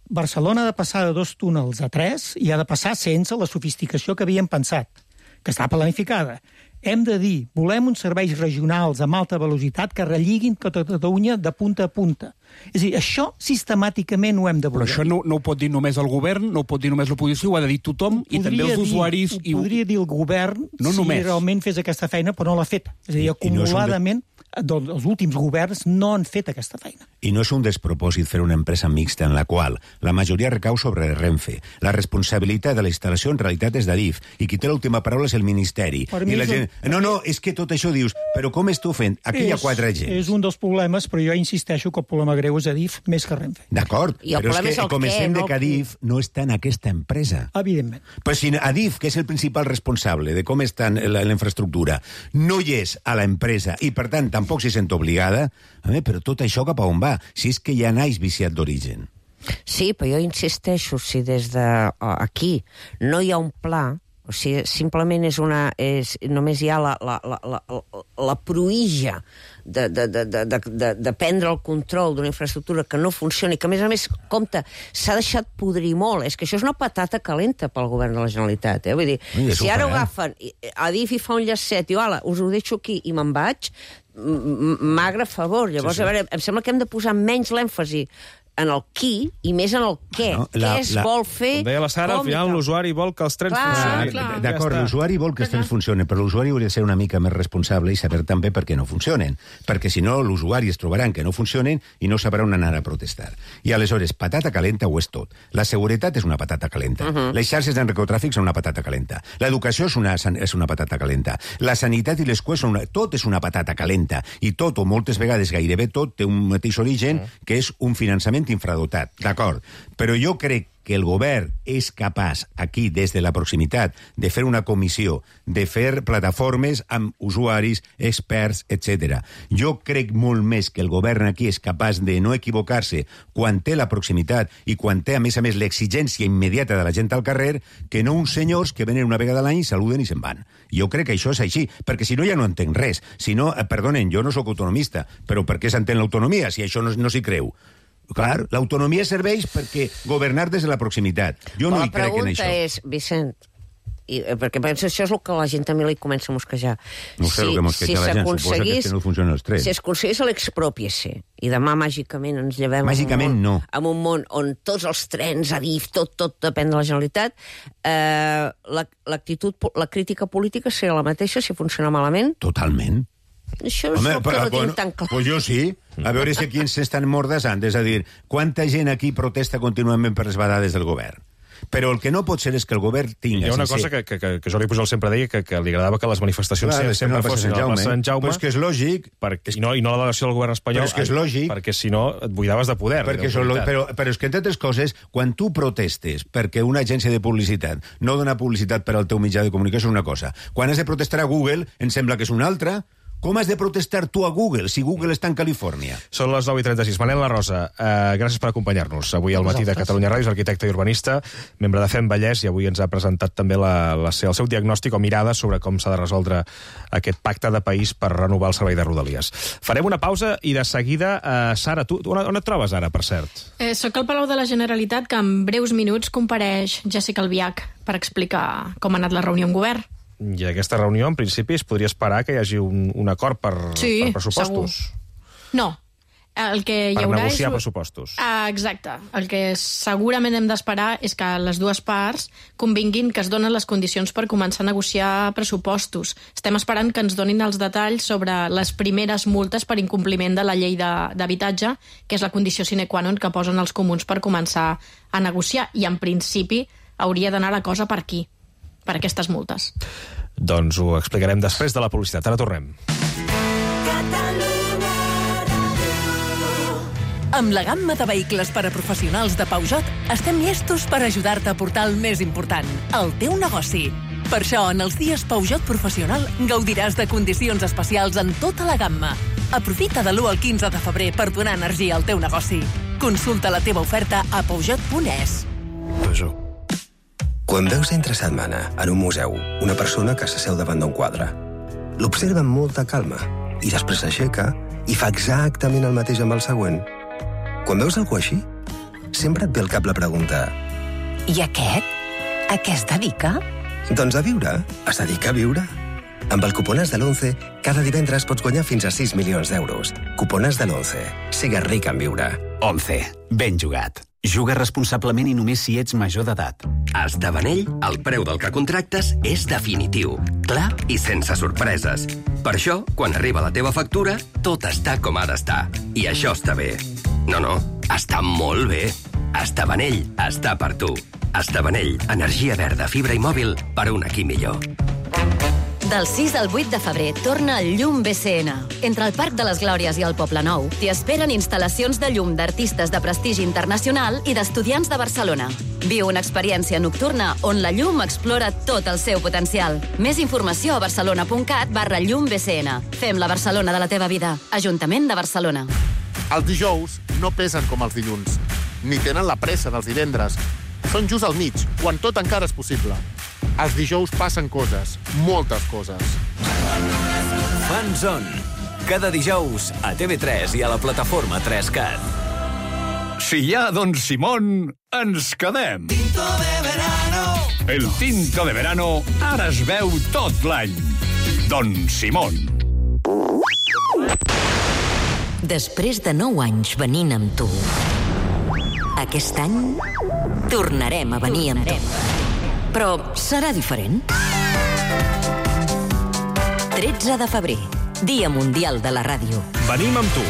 Barcelona ha de passar de 2 túnels a 3 i ha de passar sense la sofisticació que havíem pensat, que està planificada. Hem de dir, volem uns serveis regionals amb alta velocitat que relliguen Catalunya de punta a punta. És a dir, això sistemàticament ho hem de voler. Però això no ho pot dir només el govern, no ho pot dir només l'oposició, ho ha de dir tothom, i també els usuaris... Ho podria dir el govern si realment fes aquesta feina, però no l'ha fet. És a dir, acumuladament, els últims governs no han fet aquesta feina. I no és un despropòsit fer una empresa mixta en la qual la majoria recau sobre Renfe. La responsabilitat de la instal·lació en realitat és d'Adif, i qui té l'última paraula és el Ministeri. I la gent... No, és que tot això dius, però com esteu fent? Aquí hi ha 4 agents. És un dels problemes, però jo insisteixo que el problema greu és Adif més que Renfe. D'acord, però és que comencem de que Adif no està en aquesta empresa. Evidentment. Però si Adif, que és el principal responsable de com està la infraestructura, no hi és a l'empresa i, per tant, tampoc s'hi sent obligada, però tot això cap a on va? Si és que ja naix viciat d'origen. Sí, però jo insisteixo, si des d'aquí no hi ha un pla, O sigui, simplement només hi ha la pruïja de prendre el control d'una infraestructura que no funcioni, que a més, compte, s'ha deixat podrir molt. És que això és una patata calenta pel govern de la Generalitat. Vull dir, si ara ho agafen, Adif hi fa un llacet, i hola, us ho deixo aquí i me'n vaig, magre favor. Llavors, a veure, em sembla que hem de posar menys l'èmfasi en el qui i més en el què. Què es vol fer? Com deia la Sara, al final l'usuari vol que els trens funcionin. D'acord, l'usuari vol que els trens funcionin, però l'usuari hauria de ser una mica més responsable i saber també per què no funcionen. Perquè si no, l'usuari es trobaran que no funcionen i no sabrà on anar a protestar. I aleshores, patata calenta ho és tot. La seguretat és una patata calenta. Les xarxes d'enarcotràfic són una patata calenta. L'educació és una patata calenta. La sanitat i les cues tot és una patata calenta. I tot, o moltes vegades gairebé tot, té un mateix origen, que és un finançament infradotat, d'acord. Però jo crec que el govern és capaç, aquí, des de la proximitat, de fer una comissió, de fer plataformes amb usuaris, experts, etc. Jo crec molt més que el govern aquí és capaç de no equivocar-se quan té la proximitat i quan té, a més, l'exigència immediata de la gent al carrer, que no uns senyors que venen una vegada a l'any, saluden i se'n van. Jo crec que això és així, perquè si no ja no entenc res. Si no, perdonen, jo no sóc autonomista, però per què s'entén l'autonomia si això no s'hi creu? Clar, l'autonomia serveix perquè governar des de la proximitat. Jo no hi crec en això. La pregunta és, Vicent, perquè penso això és el que la gent també li comença a mosquejar. No sé el que mosqueja la gent, suposa que no funcionen els trens. Si es aconseguís l'expropiació i demà màgicament ens llevem en un món on tots els trens, Adif, tot depèn de la Generalitat, la crítica política seria la mateixa si funciona malament? Totalment. Això és el que no tinc tan clar. Pues jo sí. A veure si aquí ens estan mordassant. És a dir, quanta gent aquí protesta contínuament per les badades del govern? Però el que no pot ser és que el govern tingui... Hi ha una cosa que Jordi Pujol sempre deia, que li agradava que les manifestacions sempre fossin a la plaça Sant Jaume. Però és que és lògic. I no la delegació del govern espanyol. Però és que és lògic. Perquè si no et buidaves de poder. Però és que, entre altres coses, quan tu protestes perquè una agència de publicitat no dona publicitat per al teu mitjà de comunicació és una cosa. Quan has de protestar a Google, em sembla que és una altra. Com has de protestar tu a Google, si Google està en Califòrnia? Són les 9:36. Manel La Rosa, gràcies per acompanyar-nos. Avui al matí de Catalunya Ràdio, és arquitecte i urbanista, membre de FEM Vallès, i avui ens ha presentat també el seu diagnòstic o mirada sobre com s'ha de resoldre aquest pacte de país per renovar el servei de Rodalies. Farem una pausa i de seguida, Sara, tu on et trobes ara, per cert? Soc al Palau de la Generalitat, que en breus minuts compareix Jessica Albiach per explicar com ha anat la reunió amb govern. I aquesta reunió, en principi, es podria esperar que hi hagi un acord per pressupostos. Segur. No. El que hi haurà per negociar pressupostos. Exacte. El que segurament hem d'esperar és que les dues parts convinguin que es donen les condicions per començar a negociar pressupostos. Estem esperant que ens donin els detalls sobre les primeres multes per incompliment de la llei d'habitatge, que és la condició sine qua non que posen els comuns per començar a negociar. I, en principi, hauria d'anar la cosa per aquí, per aquestes multes. Doncs ho explicarem després de la publicitat. Ara tornem. Amb la gamma de vehicles per a professionals de Peugeot, estem llestos per ajudar-te a portar el més important, el teu negoci. Per això, en els dies Peugeot Professional, gaudiràs de condicions especials en tota la gamma. Aprofita de l'1 al 15 de febrer per donar energia al teu negoci. Consulta la teva oferta a peugeot.es. Peugeot. Quan veus entre setmana en un museu una persona que s'asseu davant d'un quadre, l'observa amb molta calma i després s'aixeca i fa exactament el mateix amb el següent. Quan veus algú així, sempre et ve al cap la pregunta: I aquest? A què es dedica? Doncs a viure. Es dedica a viure. Amb el cuponàs de l'11, cada divendres pots guanyar fins a 6 milions d'euros. Cuponàs de l'11. Sigues ric en viure. 11. Ben jugat. Juga responsablement i només si ets major d'edat. A Estavanell, el preu del que contractes és definitiu, clar i sense sorpreses. Per això, quan arriba la teva factura, tot està com ha d'estar. I això està bé. No, està molt bé. Estavanell està per tu. Estavanell, energia verda, fibra i mòbil per un aquí millor. Del 6 al 8 de febrer torna el Llum BCN. Entre el Parc de les Glòries i el Poble Nou t'hi esperen instal·lacions de llum d'artistes de prestigi internacional i d'estudiants de Barcelona. Viu una experiència nocturna on la llum explora tot el seu potencial. Més informació a barcelona.cat/llumbcn. Fem la Barcelona de la teva vida. Ajuntament de Barcelona. Els dijous no pesen com els dilluns, ni tenen la pressa dels divendres. Són just al mig, quan tot encara és possible. Els dijous passen coses, moltes coses. Fanzone. Cada dijous a TV3 i a la plataforma 3Cat. Si hi ha Don Simón, ens quedem. Tinto de verano. El tinto de verano ara es veu tot l'any. Don Simón. Després de 9 anys venint amb tu, aquest any tornarem a venir amb tu. Però serà diferent. 13 de febrer, Dia Mundial de la Ràdio. Venim amb tu.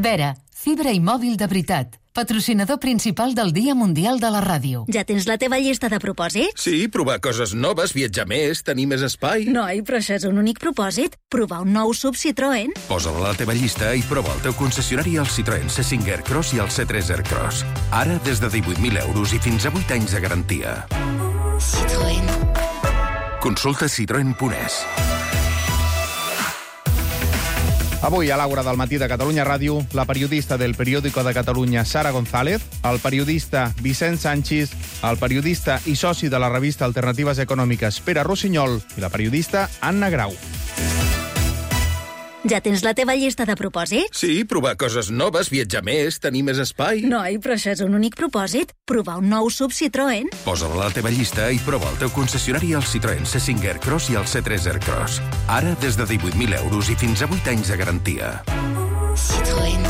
Vera, fibra i mòbil de veritat. Patrocinador principal del Dia Mundial de la Ràdio. Ja tens la teva llista de propòsits? Sí, provar coses noves, viatjar més, tenir més espai. Noi, però això és un únic propòsit. Provar un nou SUV Citroën. Posa-la a la teva llista i prova el teu concessionari al Citroën C5 Aircross i al C3 Aircross. Ara des de 18.000 euros i fins a 8 anys de garantia. Citroën. Consulta citroen.es. Avui, a l'Àgora del matí de Catalunya Ràdio, la periodista del Periódico de Catalunya, Sara González, el periodista Vicent Sanchis, el periodista i soci de la revista Alternatives Econòmiques, Pere Rossinyol, i la periodista Anna Grau. Ja tens la teva llista de propòsits? Sí, provar coses noves, viatjar més, tenir més espai. Noi, però això és un únic propòsit. Provar un nou SUV Citroën. Posa-la a la teva llista i prova el teu concessionari al Citroën C5 Aircross i al C3 Aircross. Ara des de 18.000 euros i fins a 8 anys de garantia. Citroën.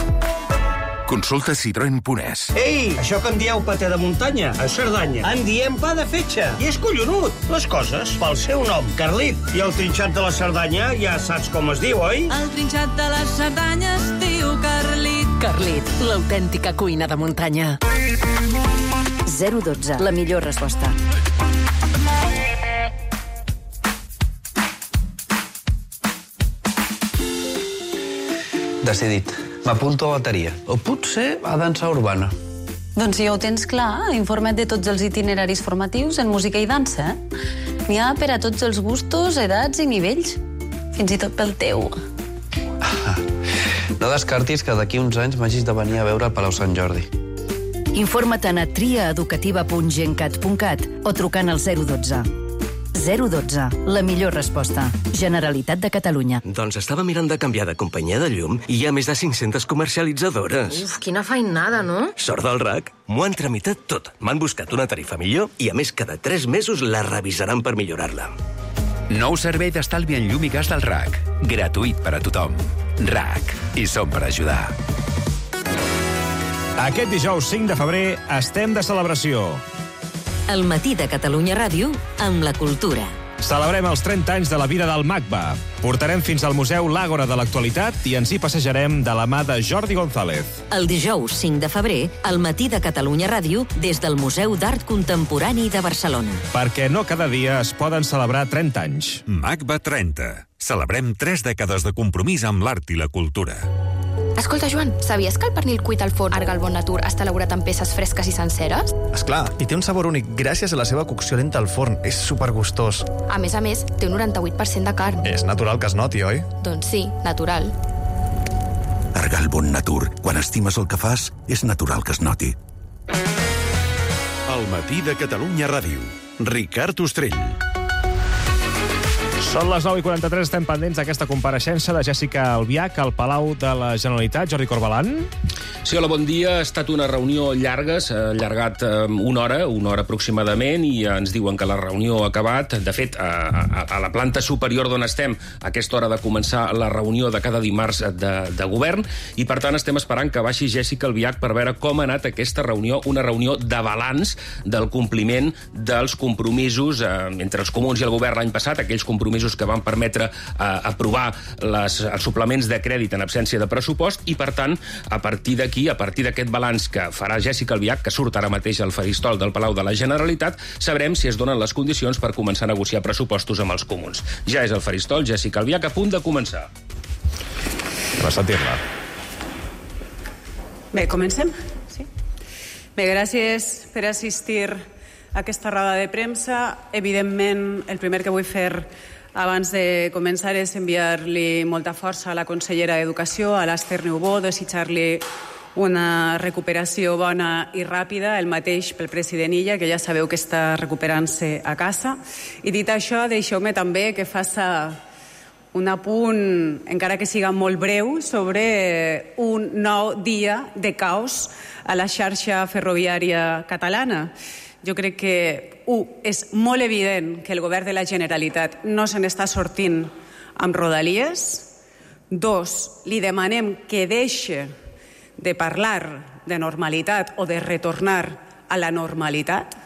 Consulta citroen.es. Ei, això que en dieu paté de muntanya, a Cerdanya, en diem pa de fetge. I és collonut. Les coses pel seu nom, Carlit. I el trinxat de la Cerdanya ja saps com es diu, oi? El trinxat de la Cerdanya es diu Carlit. Carlit, l'autèntica cuina de muntanya. 012, la millor resposta. Decidit. M'apunto a bateria. O potser a dansa urbana. Doncs si ja ho tens clar, informa't de tots els itineraris formatius en música i dansa. N'hi ha per a tots els gustos, edats i nivells. Fins i tot pel teu. No descartis que d'aquí uns anys m'hagis de venir a veure al Palau Sant Jordi. Informa't a triaeducativa.gencat.cat o trucant al 012. 012, la millor resposta. Generalitat de Catalunya. Doncs estava mirant de canviar de companyia de llum i hi ha més de 500 comercialitzadores. Uf, quina feinada, no? Sort del RAC, m'ho han tramitat tot. M'han buscat una tarifa millor i, a més, cada 3 mesos la revisaran per millorar-la. Nou servei d'estalvi en llum i gas del RAC. Gratuït per a tothom. RAC. I som per ajudar. Aquest dijous 5 de febrer estem de celebració. El matí de Catalunya Ràdio amb la cultura. Celebrem els 30 anys de la vida del MACBA. Portarem fins al Museu l'Àgora de l'Actualitat i ens hi passejarem de la mà de Jordi González. El dijous 5 de febrer, al matí de Catalunya Ràdio, des del Museu d'Art Contemporani de Barcelona. Perquè no cada dia es poden celebrar 30 anys. MACBA 30. Celebrem 3 dècades de compromís amb l'art i la cultura. Escolta, Joan, sabies que el pernil cuit al forn Arga al Bon Natur està elaborat amb peces fresques i senceres? Esclar, i té un sabor únic gràcies a la seva cocció lenta al forn. És supergustós. A més, té un 98% de carn. És natural que es noti, oi? Doncs sí, natural. Arga al Bon Natur. Quan estimes el que fas, és natural que es noti. El matí de Catalunya Ràdio. Ricard Ostrell. Són les 9:43, estem pendents d'aquesta compareixença de Jèssica Albiach al Palau de la Generalitat. Jordi Corbalan. Sí, hola, bon dia. Ha estat una reunió llarga, s'ha allargat una hora aproximadament, i ens diuen que la reunió ha acabat. De fet, a la planta superior d'on estem, a aquesta hora de començar la reunió de cada dimarts de govern, i per tant estem esperant que baixi Jèssica Albiach per veure com ha anat aquesta reunió, una reunió de balanç del compliment dels compromisos entre els comuns i el govern l'any passat, aquells compromisos que van permetre aprovar els suplements de crèdit en absència de pressupost, i per tant, a partir d'aquí, a partir d'aquest balanç que farà Jèssica Albiach, que surt ara mateix al faristol del Palau de la Generalitat, sabrem si es donen les condicions per començar a negociar pressupostos amb els comuns. Ja és al faristol Jèssica Albiach, a punt de començar. Va sentir-la. Bé, comencem? Sí. Bé, gràcies per assistir a aquesta roda de premsa. Evidentment, el primer que vull fer abans de començar és enviar-li molta força a la consellera d'Educació, a l'Ester Neubó, desitjar-li una recuperació bona i ràpida, el mateix pel president Illa, que ja sabeu que està recuperant-se a casa. I dit això, deixeu-me també que faça un apunt, encara que siga molt breu, sobre un nou dia de caos a la xarxa ferroviària catalana. Jo crec que, és molt evident que el govern de la Generalitat no se n'està sortint amb Rodalies. 2, li demanem que deixi de parlar de normalitat o de retornar a la normalitat,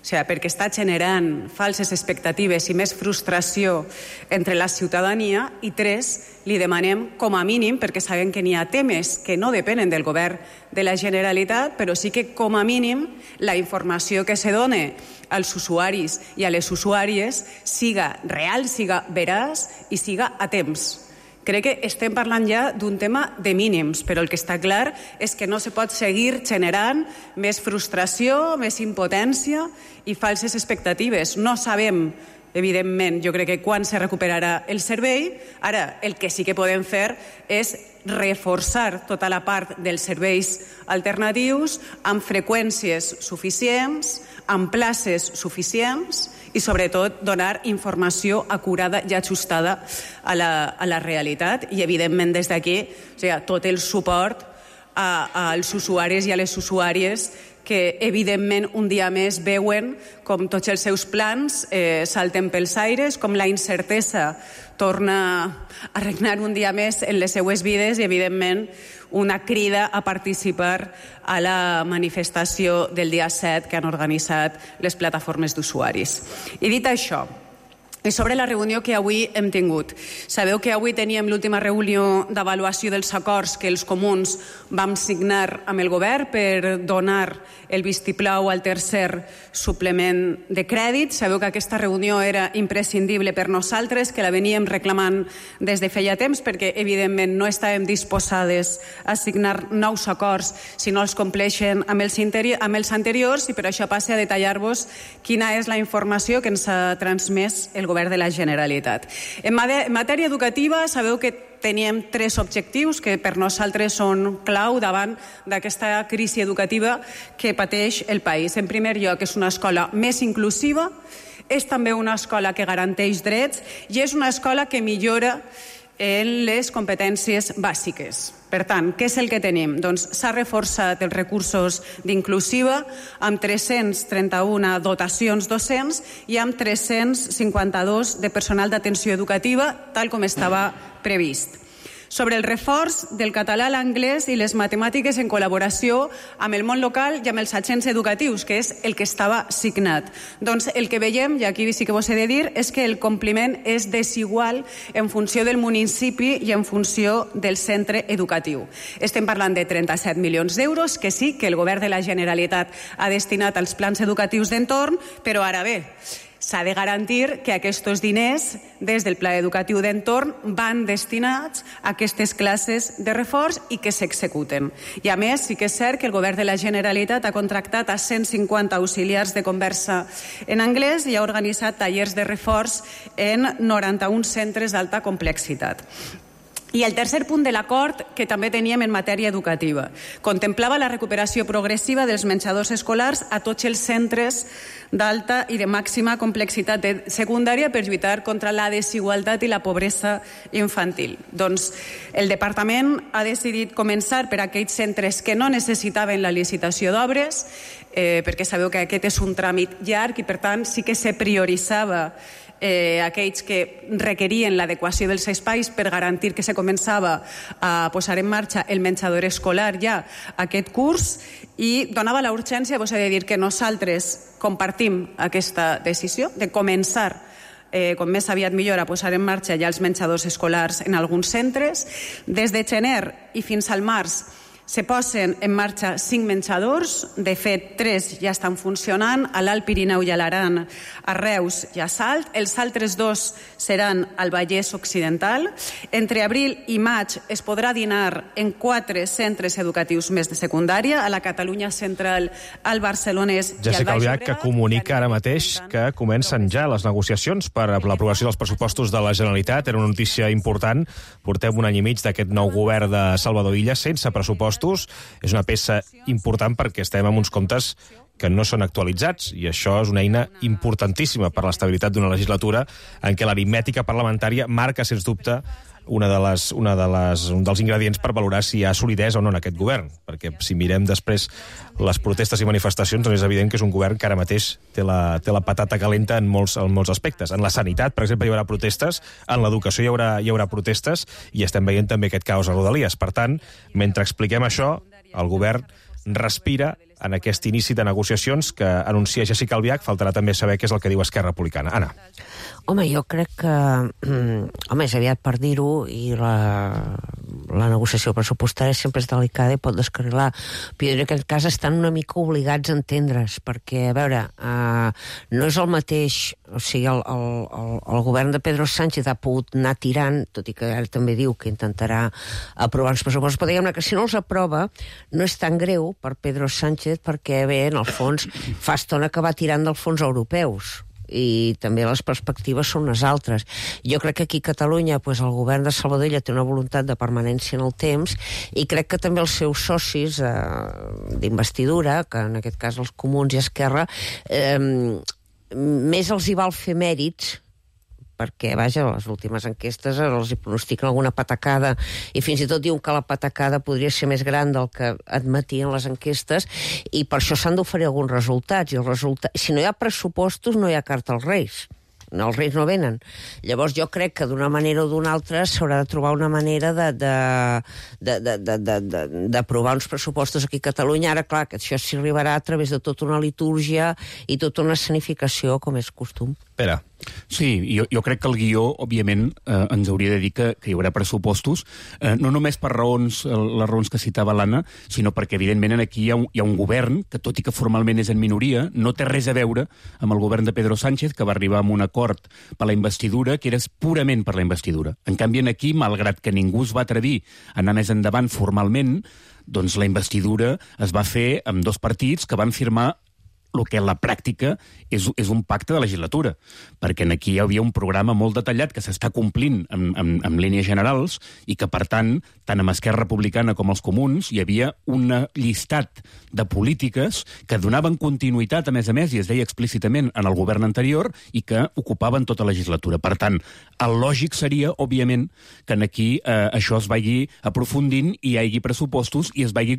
perquè està generant falses expectatives i més frustració entre la ciutadania. I 3, li demanem com a mínim, perquè sabem que n'hi ha temes que no depenen del govern de la Generalitat, però sí que com a mínim la informació que se dona als usuaris i a les usuàries siga real, siga veraç i siga a temps. Crec que estem parlant ja d'un tema de mínims, però el que està clar és que no se pot seguir generant més frustració, més impotència i falses expectatives. No sabem, evidentment, jo crec que quan se recuperarà el servei. Ara, el que sí que podem fer és reforçar tota la part dels serveis alternatius amb freqüències suficients, amb places suficients i, sobretot, donar informació acurada i ajustada a la realitat. I, evidentment, des d'aquí, tot el suport als usuaris i a les usuàries que, evidentment, un dia més veuen com tots els seus plans salten pels aires, com la incertesa torna a regnar un dia més en les seues vides i, evidentment, una crida a participar a la manifestació del dia 7 que han organitzat les plataformes d'usuaris. I dit això, i sobre la reunió que avui hem tingut. Sabeu que avui teníem l'última reunió d'avaluació dels acords que els comuns vam signar amb el govern per donar el vistiplau al tercer suplement de crèdit. Sabeu que aquesta reunió era imprescindible per nosaltres, que la veníem reclamant des de feia temps, perquè evidentment no estàvem disposades a signar nous acords si no els compleixen amb els anteriors, i per això passe a detallar-vos quina és la informació que ens ha transmès el govern de la Generalitat. En matèria educativa, sabeu que teníem 3 objectius que per nosaltres són clau davant d'aquesta crisi educativa que pateix el país. En primer lloc, és una escola més inclusiva, és també una escola que garanteix drets i és una escola que millora en les competències bàsiques. Per tant, què és el que tenim? Doncs s'ha reforçat els recursos d'inclusiva amb 331 dotacions docents i amb 352 de personal d'atenció educativa, tal com estava previst. Sobre el reforç del català, l'anglès i les matemàtiques en col·laboració amb el món local i amb els agents educatius, que és el que estava signat. Doncs el que veiem, i aquí sí que vos he de dir, és que el compliment és desigual en funció del municipi i en funció del centre educatiu. Estem parlant de 37 milions d'euros, que sí que el govern de la Generalitat ha destinat als plans educatius d'entorn, però ara bé, s'ha de garantir que aquests diners des del pla educatiu d'entorn van destinats a aquestes classes de reforç i que s'executen. I a més, sí que és cert que el govern de la Generalitat ha contractat a 150 auxiliars de conversa en anglès i ha organitzat tallers de reforç en 91 centres d'alta complexitat. I el tercer punt de l'acord que també teníem en matèria educativa contemplava la recuperació progressiva dels menjadors escolars a tots els centres d'alta i de màxima complexitat de secundària per lluitar contra la desigualtat i la pobresa infantil. Doncs el departament ha decidit començar per aquells centres que no necessitaven la licitació d'obres, perquè sabeu que aquest és un tràmit llarg i per tant sí que se prioritzava aquells que requerien l'adequació dels espais per garantir que se començava a posar en marxa el menjador escolar ja aquest curs, i donava la urgència, vos he de dir que nosaltres compartim aquesta decisió de començar com més aviat millor a posar en marxa ja els menjadors escolars en alguns centres. Des de gener i fins al març se posen en marxa 5 menjadors, de fet 3 ja estan funcionant, a l'Alt Pirineu i a l'Aran, a Reus i a Salt. Els altres 2 seran al Vallès Occidental. Entre abril i maig es podrà dinar en 4 centres educatius més de secundària, a la Catalunya Central, al Barcelonès i al Baix Jessica Albiach, que comunica ara mateix que comencen ja les negociacions per a l'aprovació dels pressupostos de la Generalitat. Era una notícia important. Portem un any i mig d'aquest nou govern de Salvador Illa sense pressupostos pressupostos és una peça important perquè estem amb uns comptes que no són actualitzats, i això és una eina importantíssima per l'estabilitat d'una legislatura en què l'aritmètica parlamentària marca, sens dubte, un dels ingredients per valorar si hi ha solidesa o no en aquest govern, perquè si mirem després les protestes i manifestacions, doncs és evident que és un govern que ara mateix té la patata calenta en molts aspectes. En la sanitat, per exemple, hi haurà protestes, en l'educació hi haurà protestes, i estem veient també aquest caos a Rodalies. Per tant, mentre expliquem això, el govern respira en aquest inici de negociacions que anuncia Jessica Albiach. Faltarà també saber què és el que diu Esquerra Republicana. Anna. Home, jo crec que... és aviat per dir-ho, i la negociació pressupostària sempre és delicada i pot descarrilar. Però jo en aquest cas estan una mica obligats a entendre's, perquè, a veure, no és el mateix... O sigui, el govern de Pedro Sánchez ha pogut anar tirant, tot i que ara també diu que intentarà aprovar els pressupostos, però diguem-ne que si no els aprova no és tan greu per Pedro Sánchez, perquè bé, en el fons, fa estona que va tirant dels fons europeus, i també les perspectives són unes altres. Jo crec que aquí a Catalunya el govern de Salvador Illa té una voluntat de permanència en el temps, i crec que també els seus socis d'investidura, que en aquest cas els Comuns i Esquerra, més els hi val fer mèrits, perquè, vaja, les últimes enquestes els hi pronostiquen alguna patacada, i fins i tot diuen que la patacada podria ser més gran del que admetien les enquestes, i per això s'han d'oferir alguns resultats, i si no hi ha pressupostos no hi ha carta als Reis. Els Reis no venen. Llavors jo crec que d'una manera o d'una altra s'haurà de trobar una manera d'aprovar uns pressupostos aquí a Catalunya. Ara, clar, que això s'hi arribarà a través de tota una litúrgia i tota una escenificació, com és costum. Pere. Sí, jo crec que el guió, òbviament, ens hauria de dir que hi haurà pressupostos, no només per les raons que citava l'Anna, sinó perquè, evidentment, aquí hi ha un govern que, tot i que formalment és en minoria, no té res a veure amb el govern de Pedro Sánchez, que va arribar a un acord per la investidura, que era purament per la investidura. En canvi, aquí, malgrat que ningú es va atrevir a anar més endavant formalment, doncs la investidura es va fer amb dos partits que van firmar el que en la pràctica és un pacte de legislatura, perquè aquí hi havia un programa molt detallat que s'està complint en línies generals, i que, per tant, tant amb Esquerra Republicana com els Comuns, hi havia un llistat de polítiques que donaven continuïtat, a més, i es deia explícitament en el govern anterior, i que ocupaven tota la legislatura. Per tant, el lògic seria, òbviament, que aquí això es vagi aprofundint i hi hagi pressupostos i es vagi,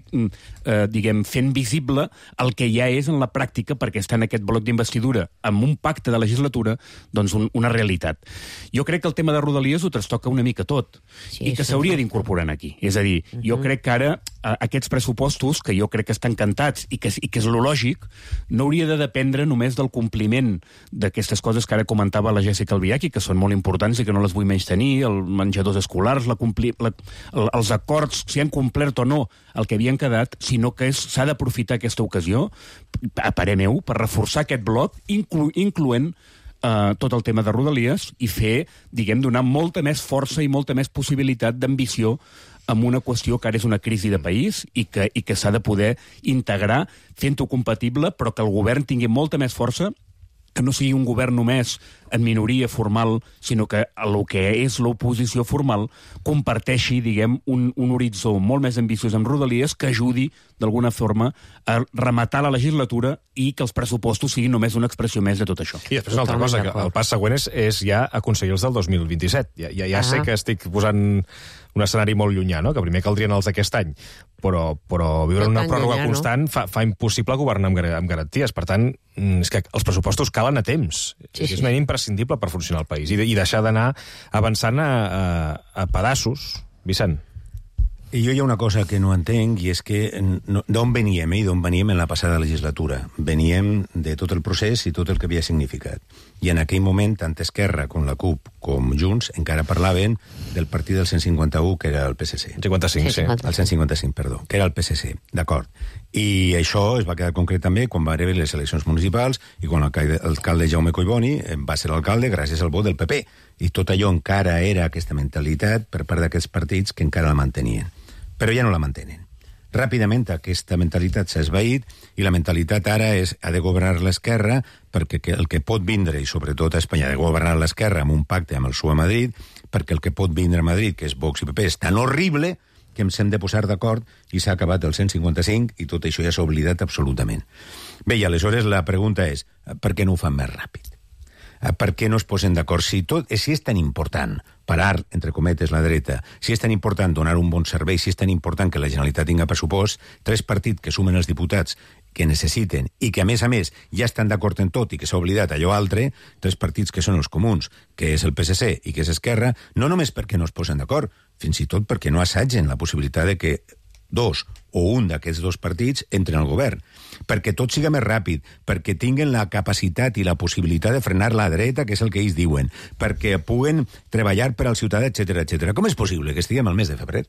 fent visible el que ja és en la pràctica, perquè està en aquest bloc d'investidura amb un pacte de legislatura, doncs una realitat. Jo crec que el tema de Rodalies ho trastoca una mica tot, i que s'hauria d'incorporar aquí. És a dir, jo crec que ara aquests pressupostos, que jo crec que estan cantats i que és lo lògic, no hauria de dependre només del compliment d'aquestes coses que ara comentava la Jessica Albiach, que són molt importants i que no les vull menystenir, els menjadors escolars, els acords, si han complert o no el que havien quedat, sinó que s'ha d'aprofitar aquesta ocasió, a parer meu, per reforçar aquest bloc, incloent tot el tema de Rodalies, i fer, donar molta més força i molta més possibilitat d'ambició amb una qüestió que ara és una crisi de país i que s'ha de poder integrar fent-ho compatible, però que el govern tingui molta més força, que no sigui un govern només en minoria formal, sinó que el que és l'oposició formal comparteixi, un horitzó molt més ambiciós amb Rodalies, que ajudi, d'alguna forma, a rematar la legislatura i que els pressupostos siguin només una expressió més de tot això. I després una altra cosa, que el pas següent és ja aconseguir els del 2027. Ja sé que estic posant un escenari molt llunyà, no? Que primer caldrien els d'aquest any, però viure en una pròrroga constant fa impossible governar amb garanties. Per tant, és que els pressupostos calen a temps. És una eina imprescindible per funcionar el país i deixar d'anar avançant a pedaços. Vicent. I jo hi ha una cosa que no entenc, i és que d'on veníem, i d'on veníem en la passada legislatura. Veníem de tot el procés i tot el que havia significat. I en aquell moment, tant Esquerra com la CUP com Junts encara parlaven del partit del 151, que era el PSC. 55, sí. El 155, perdó, que era el PSC, d'acord. I això es va quedar concret també quan va haver les eleccions municipals i quan l'alcalde Jaume Collboni va ser l'alcalde gràcies al vot del PP. I tot allò encara era aquesta mentalitat per part d'aquests partits que encara la mantenien. Però ja no la mantenen. Ràpidament aquesta mentalitat s'ha esvaït i la mentalitat ara ha de governar l'esquerra, perquè el que pot vindre, i sobretot a Espanya, ha de governar l'esquerra amb un pacte amb el PSOE a Madrid, perquè el que pot vindre a Madrid, que és Vox i PP, és tan horrible que ens hem de posar d'acord i s'ha acabat el 155 i tot això ja s'ha oblidat absolutament. Bé, i aleshores la pregunta és, per què no ho fan més ràpid? Per què no es posen d'acord? Si és tan important parar, entre cometes, la dreta, si és tan important donar un bon servei, si és tan important que la Generalitat tinga pressupost, 3 partits que sumen els diputats que necessiten i que, a més, ja estan d'acord en tot i que s'ha oblidat allò altre, 3 partits que són els comuns, que és el PSC i que és Esquerra, no només perquè no es posen d'acord, fins i tot perquè no assagen la possibilitat de que 2 o un d'aquests 2 partits entren al govern, perquè tot siga més ràpid, perquè tinguen la capacitat i la possibilitat de frenar la dreta, que és el que ells diuen, perquè puguen treballar per al ciutadà, etc. Com és possible que estiguem al mes de febrer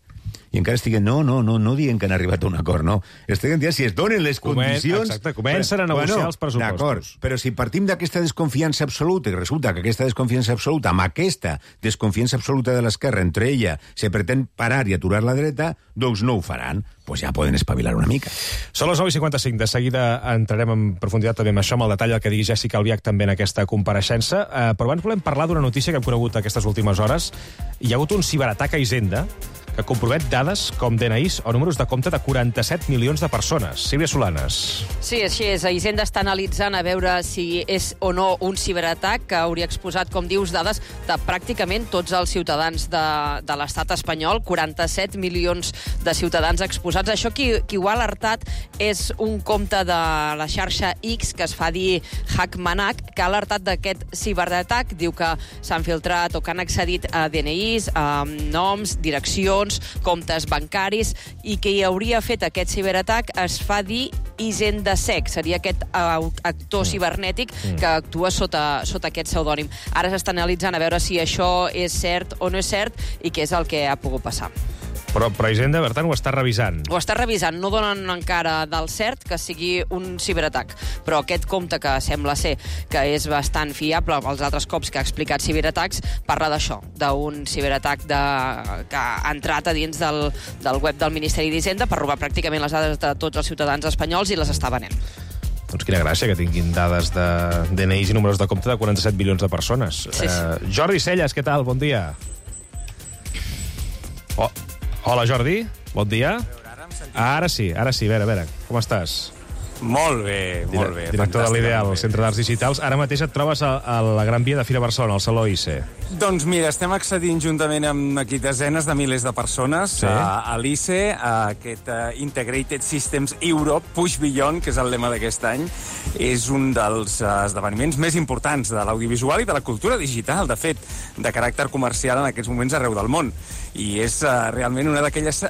i encara estiguen, no dient que han arribat a un acord, no. Estiguen dient si es donen les condicions... Exacte, comencen a negociar els pressupostos. D'acord, però si partim d'aquesta desconfiança absoluta, i resulta que aquesta desconfiança absoluta, amb aquesta desconfiança absoluta de l'esquerra, entre ella se pretén parar i aturar la dreta, doncs no ho faran. Pues ja poden espavilar una mica. Són les 9:55. De seguida entrarem en profunditat també amb això, amb el detall del que digui Jessica Albiach també en aquesta compareixença. Però abans volem parlar d'una notícia que hem conegut aquestes últimes hores. Hi ha hagut un ciberatac a Hisenda que compromet dades com DNIs o números de compte de 47 milions de persones. Sílvia Solanes. Sí, així és. Hisenda està analitzant a veure si és o no un ciberatac que hauria exposat, com dius, dades de pràcticament tots els ciutadans de l'estat espanyol, 47 milions de ciutadans exposats. Això qui ho ha alertat és un compte de la xarxa X que es fa dir Hackmanac, que ha alertat d'aquest ciberatac. Diu que s'han filtrat o que han accedit a DNIs, a noms, direccions, comptes bancaris, i qui hauria fet aquest ciberatac es fa dir HisendaSec, seria aquest actor cibernètic que actua sota aquest pseudònim. Ara s'està analitzant a veure si això és cert o no és cert i què és el que ha pogut passar. Però Hisenda, per tant, ho està revisant. Ho està revisant. No donen encara del cert que sigui un ciberatac. Però aquest compte, que sembla ser que és bastant fiable, els altres cops que ha explicat ciberatacs, parla d'això, d'un ciberatac que ha entrat a dins del web del Ministeri d'Hisenda per robar pràcticament les dades de tots els ciutadans espanyols i les està venent. Doncs quina gràcia que tinguin dades de DNIs i números de compte de 47 milions de persones. Sí. Jordi Celles, què tal? Bon dia. Hola, Jordi. Bon dia. Ara sí. A veure, com estàs? Molt bé. Director de l'Ideal, Centre d'Arts Digitals. Ara mateix et trobes a la Gran Via de Fira Barcelona, al Saló ICE. Doncs mira, estem accedint juntament amb aquí desenes de milers de persones a l'ICE, a aquest Integrated Systems Europe Push Beyond, que és el lema d'aquest any. És un dels esdeveniments més importants de l'audiovisual i de la cultura digital, de fet, de caràcter comercial en aquests moments arreu del món. I és realment una d'aquelles...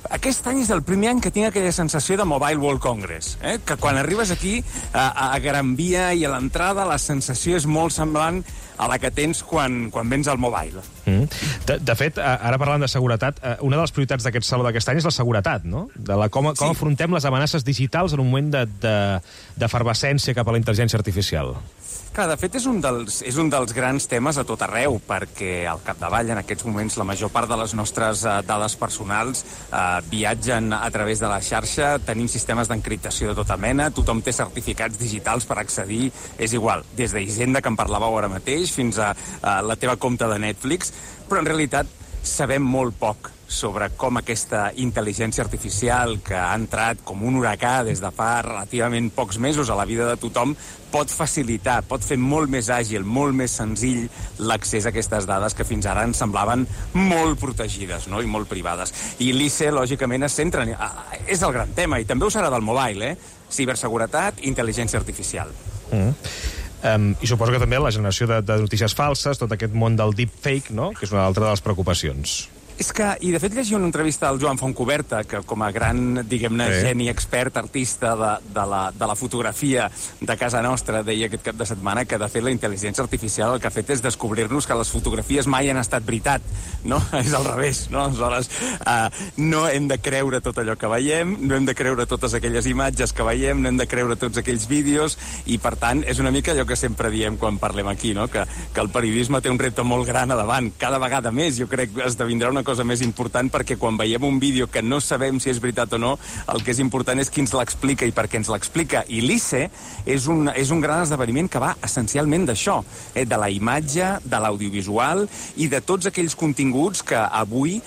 Aquest any és el primer any que tinc aquella sensació de Mobile World Congress, que quan arribes aquí, a Gran Via i a l'entrada, la sensació és molt semblant a la que tens quan vens al Mobile. De fet, ara parlant de seguretat, una de les prioritats d'aquest saló d'aquest any és la seguretat, no? Com afrontem les amenaces digitals en un moment d'efervescència cap a la intel·ligència artificial. Clar, de fet, és un dels grans temes a tot arreu, perquè al capdavall, en aquests moments, la major part de les nostres dades personals viatgen a través de la xarxa, tenim sistemes d'encriptació de tota mena, tothom té certificats digitals per accedir, és igual, des d'Hisenda, que en parlàveu ara mateix, fins a la teva compte de Netflix, però en realitat sabem molt poc sobre com aquesta intel·ligència artificial que ha entrat com un huracà des de fa relativament pocs mesos a la vida de tothom pot facilitar, pot fer molt més àgil, molt més senzill l'accés a aquestes dades que fins ara ens semblaven molt protegides, no? I molt privades. I l'ICE, lògicament, es centra... És el gran tema, i també ho serà del mobile, ciberseguretat, intel·ligència artificial. I suposo que també la generació de notícies falses, tot aquest món del deepfake, no? Que és una altra de les preocupacions. És que, i de fet llegia una entrevista al Joan Fontcuberta, que com a gran, diguem-ne, geni, expert, artista de la fotografia de casa nostra, deia aquest cap de setmana que, de fet, la intel·ligència artificial el que ha fet és descobrir-nos que les fotografies mai han estat veritat, no? És al revés, no? Aleshores, no hem de creure tot allò que veiem, no hem de creure totes aquelles imatges que veiem, no hem de creure tots aquells vídeos, i, per tant, és una mica allò que sempre diem quan parlem aquí, no? Que el periodisme té un repte molt gran a davant, cada vegada més, jo crec que esdevindrà una cosa més important, perquè quan veiem un vídeo que no sabem si és veritat o no, el que és important és qui ens l'explica i per què ens l'explica. I l'ICE és un gran esdeveniment que va essencialment d'això, de la imatge, de l'audiovisual i de tots aquells continguts que avui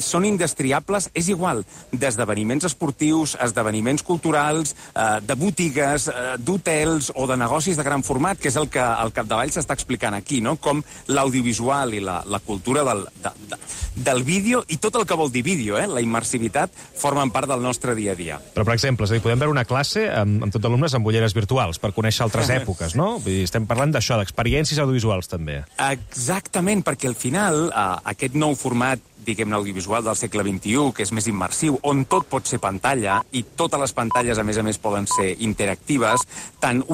són indestriables, és igual, d'esdeveniments esportius, esdeveniments culturals, de botigues, d'hotels o de negocis de gran format, que és el que al capdavall s'està explicant aquí, no? Com l'audiovisual i la cultura del vídeo i tot el que vol dir vídeo, la immersivitat, formen part del nostre dia a dia. Però, per exemple, és a dir, podem veure una classe amb tots alumnes amb ulleres virtuals per conèixer altres èpoques, no? Vull dir, estem parlant d'això, d'experiències audiovisuals, també. Exactament, perquè al final aquest nou format, diguem-ne, audiovisual del segle XXI, que és més immersiu, on tot pot ser pantalla, i totes les pantalles, a més, poden ser interactives, tant una